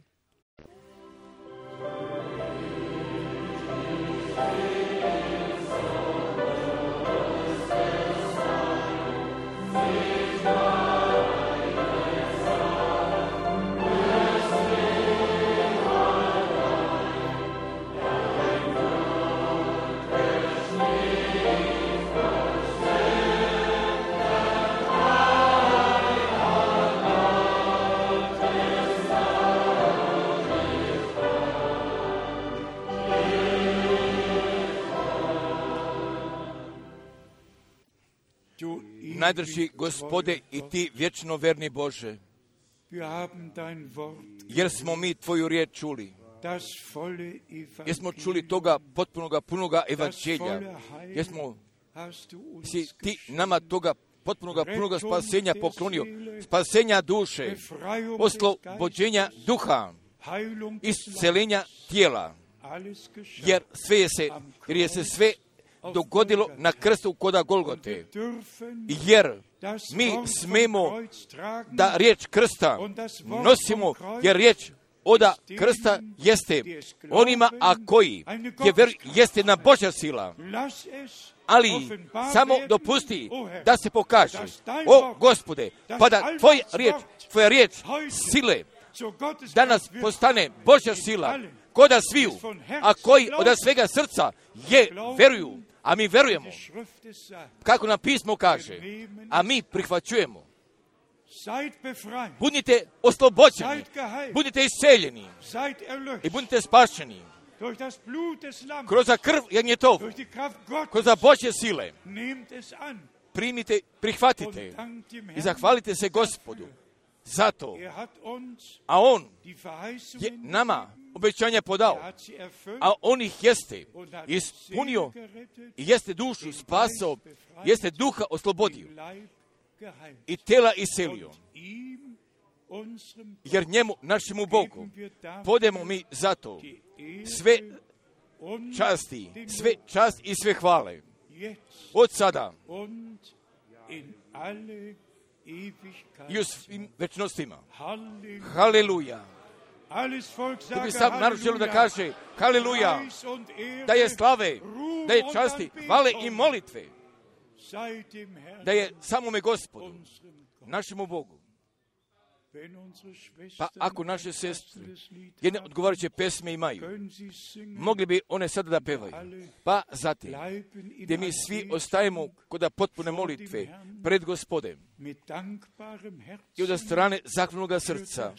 Najdrži Gospode i ti vječno verni Bože, jer smo mi tvoju riječ čuli, jer smo čuli toga potpunoga, punoga evanđelja, jer smo si ti nama toga potpunoga, punoga spasenja poklonio, spasenja duše, oslobođenja duha, iscelenja tijela, jer sve je se, jer je se sve dogodilo na krstu koda Golgote, jer mi smemo da riječ krsta nosimo, jer riječ oda krsta jeste onima, a koji je ver, jeste na Božja sila, ali samo dopusti da se pokaže, o Gospode, pa da tvoja riječ, tvoja riječ sile danas postane Božja sila, koda sviju, a koji od svega srca je veruju, a mi verujemo, kako nam pismo kaže, a mi prihvaćujemo. Budite oslobođeni, budite isceljeni i budite spašeni kroz krv jagnjetovu, kroz Božje sile. Primite, prihvatite i zahvalite se Gospodu zato, a On je nama obećanja podao, a On ih jeste ispunio i jeste dušu spasao, jeste duha oslobodio i tela iselio. Jer njemu, našemu Bogu, podemo mi zato sve časti, sve čast i sve hvale. Od sada i u svim večnostima. Haleluja. To bi sam narod želio da kaže haleluja, da je slave, da je časti, hvale i molitve, da je samome Gospodu, našemu Bogu. Pa ako naše sestre jedne odgovarajuće pesme imaju, mogli bi one sada da pevaju. Pa zatim, gdje mi svi ostajemo kod potpune molitve pred Gospodem i od strane zahvalnoga srca,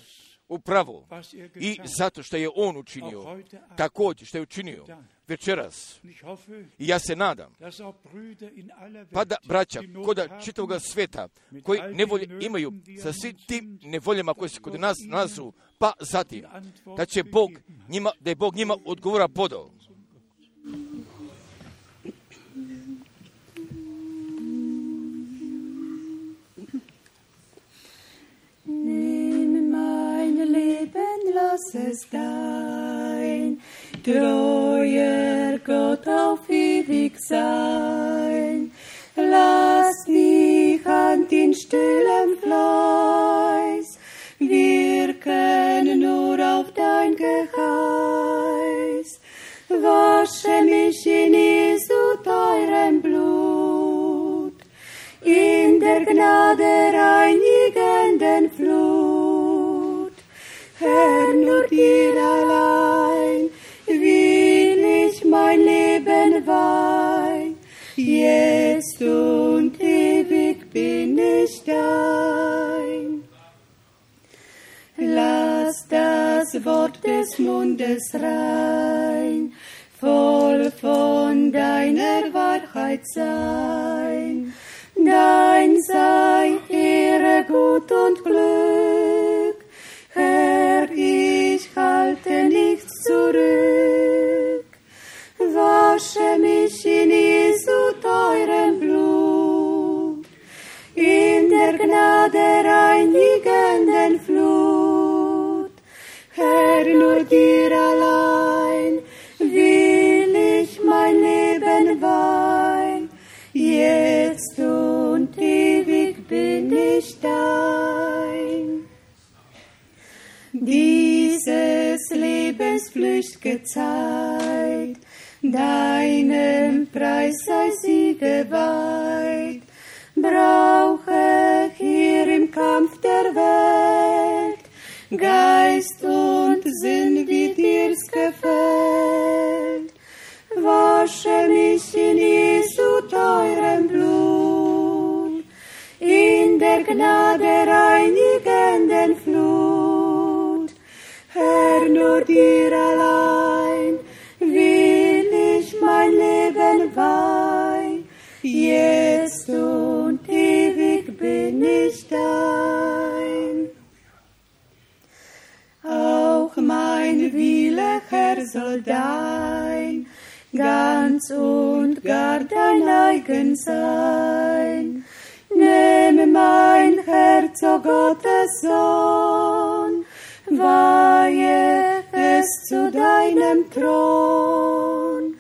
upravo i zato što je On učinio, također što je učinio večeras. I ja se nadam, pa da braća koda čitavoga sveta, koji nevolje imaju sa svim tim nevoljama koje se kod nas nalazu, pa zatim, da će Bog njima, da je Bog njima odgovora podao. Lass es dein treuer Gott auf ewig sein. Lass dich an den stillen Fleiß wirken nur auf dein Geheiß. Wasche mich in Jesu teurem Blut, in der Gnade reinigenden Flut. Herr, nur dir allein will ich mein Leben weihen. Jetzt und ewig bin ich dein. Lass das Wort des Mundes rein, voll von deiner Wahrheit sein. Dein sei Ehre, Gut und Glück. Herr, ich halte nichts zurück. Wasche mich in Jesu teurem Blut, in der Gnade reinigenden Flut. Herr, nur dir allein will ich mein Leben weihen. Jetzt und ewig bin ich dein. Dieses Lebens flücht'ge Zeit, deinem Preis sei sie geweiht. Brauche hier im Kampf der Welt Geist und Sinn, wie dir's gefällt. Wasche mich in Jesu teurem Blut, in der Gnade reinigenden Flut. Herr, nur dir allein will ich mein Leben weihen. Jetzt und ewig bin ich dein. Auch mein Wille, Herr, soll dein, ganz und gar dein eigen sein. Nimm mein Herz, o Gottes Sohn, weihe es zu deinem Thron.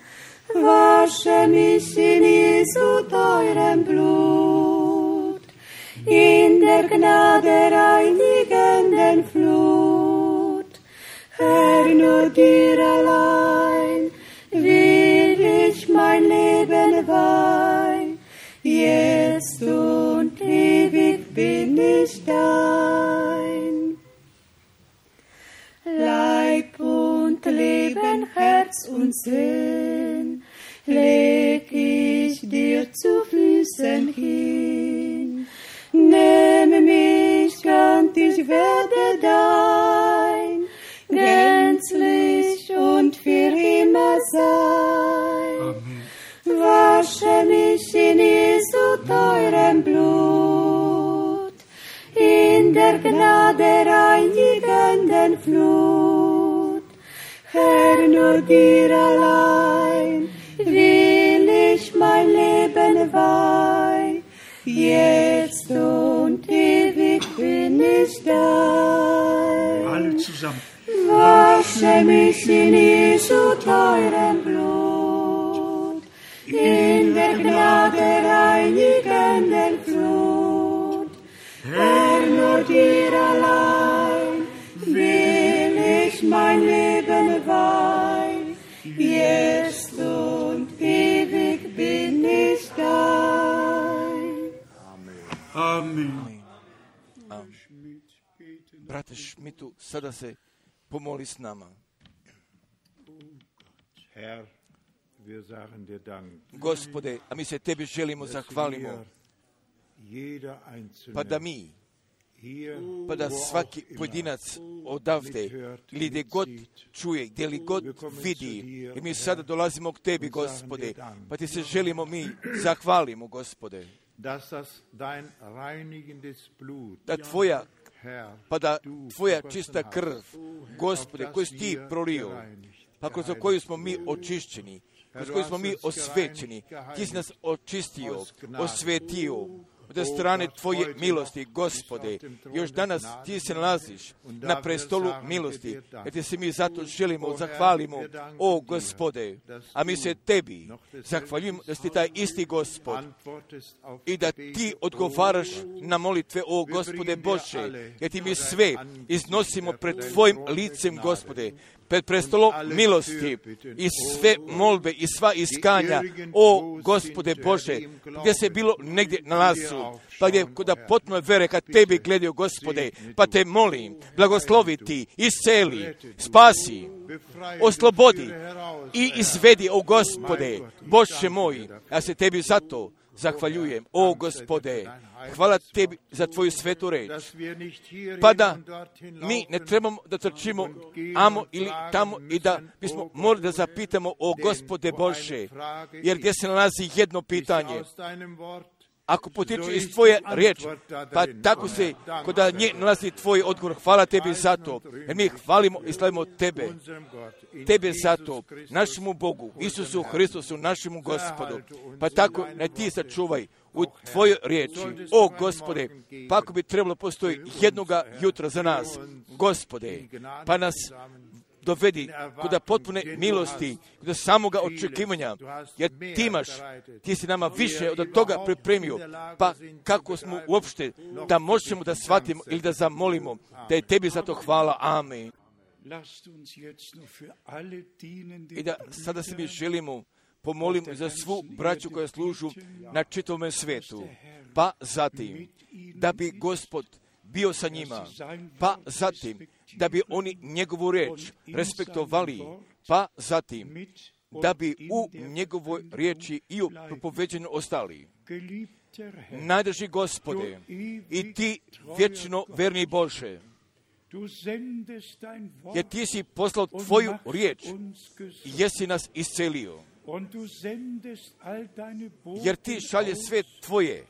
Wasche mich in Jesu teurem Blut, in der Gnade reinigenden Flut. Herr, nur dir allein will ich mein Leben weihen. Jetzt und ewig bin ich dein. Leib und Leben Herz und Sinn leg ich dir zu Füßen hin. Nehme mich ganz, ich werde dein, gänzlich und für immer sein. Amen. Wasche mich in Jesu teurem Blut, in der Gnade reinigenden Flut. Herr, nur dir allein will ich mein Leben weihen, jetzt und ewig bin ich dein. Alle zusammen. Wasche mich in Jesu teurem Blut, in der Gnade reinigenden Flut. Herr, nur dir allein will ich mein Leben weihen, jetzt und ewig bin ich dein. Amen. Amen. Brate Šmitu, sada se pomoli s nama. Herr, wir sagen dir Dank. Gospode, a mi se tebi želimo zahvalimo, pa da mi, pa da svaki pojedinac odavde, ili gdje god čuje, gdje li god vidi, i mi sada dolazimo k tebi, Gospode, pa ti se želimo mi zahvalimo, Gospode, da tvoja, pa da tvoja čista krv, Gospode, koju si ti prolio, pa kroz koju smo mi očišćeni, kroz koju smo mi osvećeni, ti si nas očistio, osvetio, od strane tvoje milosti, Gospode. Još danas ti se nalaziš na prestolu milosti, jer ti se mi zato želimo, zahvalimo, o Gospode, a mi se tebi zahvaljujemo da si ti taj isti Gospod i da ti odgovaraš na molitve, o Gospode Bože, jer ti mi sve iznosimo pred tvojim licem, Gospode, pred prestolom milosti i sve molbe i sva iskanja, o Gospode Bože, gdje se bilo negdje nalazu, pa gdje kod potpuno vere kad tebi gledaju, Gospode, pa te molim, blagoslovi ti, isceli, spasi, oslobodi i izvedi, o Gospode, Bože moj, ja se tebi zato zahvaljujem, o Gospode, hvala tebi za tvoju svetu reč, pa da mi ne trebamo da trčimo amo ili tamo i da bismo morali da zapitamo, o Gospode Bože, jer gdje se nalazi jedno pitanje, ako potiču iz tvoje riječi, pa tako se kod nje nalazi tvoj odgovor. Hvala tebi za to, jer mi hvalimo i slavimo tebe. Tebe za to, našemu Bogu, Isusu Hristusu, našemu Gospodu. Pa tako ne ti sačuvaj u tvojoj riječi, o Gospode, pa ako bi trebalo postoji jednoga jutra za nas, Gospode, pa nas dovedi kod potpune milosti, kod samoga očekivanja, jer ti imaš, ti si nama više od toga pripremio, pa kako smo uopšte da možemo da shvatimo ili da zamolimo, da je tebi za to hvala. Amen. I da sada se mi želimo pomolimo za svu braću koja služu na čitavom svijetu, pa zatim da bi Gospod bio sa njima, pa zatim da bi oni njegovu reč respektovali, pa zatim da bi u njegovoj riječi i u propoveđenju ostali. Najdraži Gospode, i ti vječno verni Bože, jer ti si poslao tvoju riječ i jesi nas iscelio. Jer ti šalje sve tvoje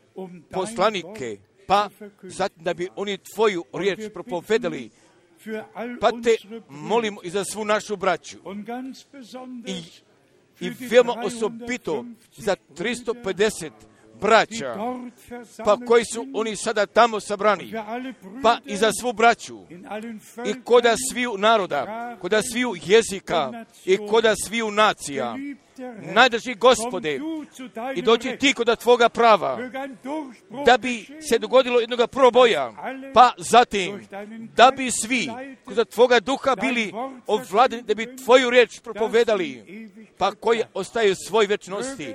poslanike, pa zatim da bi oni tvoju riječ propovedali, pa te molimo i za svu našu braću. I, i veoma osobito za tristo pedeset braća, pa koji su oni sada tamo sabrani, pa i za svu braću, i koda sviju naroda, koda sviju jezika, i koda sviju nacija. Najdraži Gospode, i dođi ti kod tvoga prava, da bi se dogodilo jednoga proboja, pa zatim, da bi svi kod tvoga duha bili ovladeni, da bi tvoju riječ propovedali, pa koji ostaju svoj večnosti,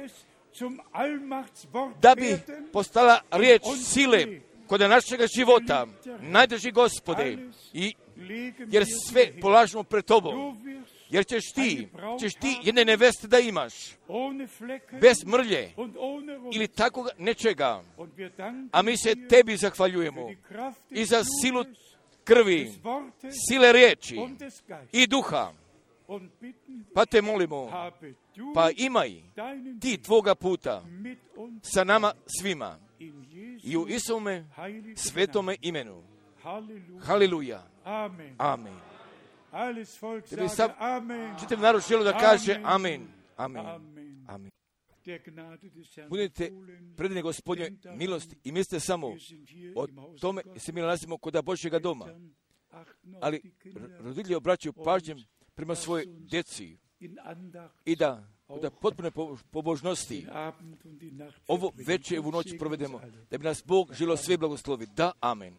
da bi postala riječ sile kod našega života, najdraži Gospode, i jer sve polažemo pred tobom, jer ćeš ti, ćeš ti jedne neveste da imaš, bez mrlje ili takvog nečega. A mi se tebi zahvaljujemo i za silu krvi, sile riječi i duha. Pa te molimo, pa imaj ti tvoga puta sa nama svima i u Isuvome svetome imenu. Haleluja. Amen. Tebi sam čitav narod želi da kaže amen. Amen. Amen. Budite predani Gospodnje milosti i mislite samo o tome se mi nalazimo kod Božjega doma. Ali roditelji obraćaju pažnjem prema svojoj djeci i da da potpune pobožnosti ovo večer i ovu noć provedemo, da bi nas Bog želio sve blagoslovi. Da, amen.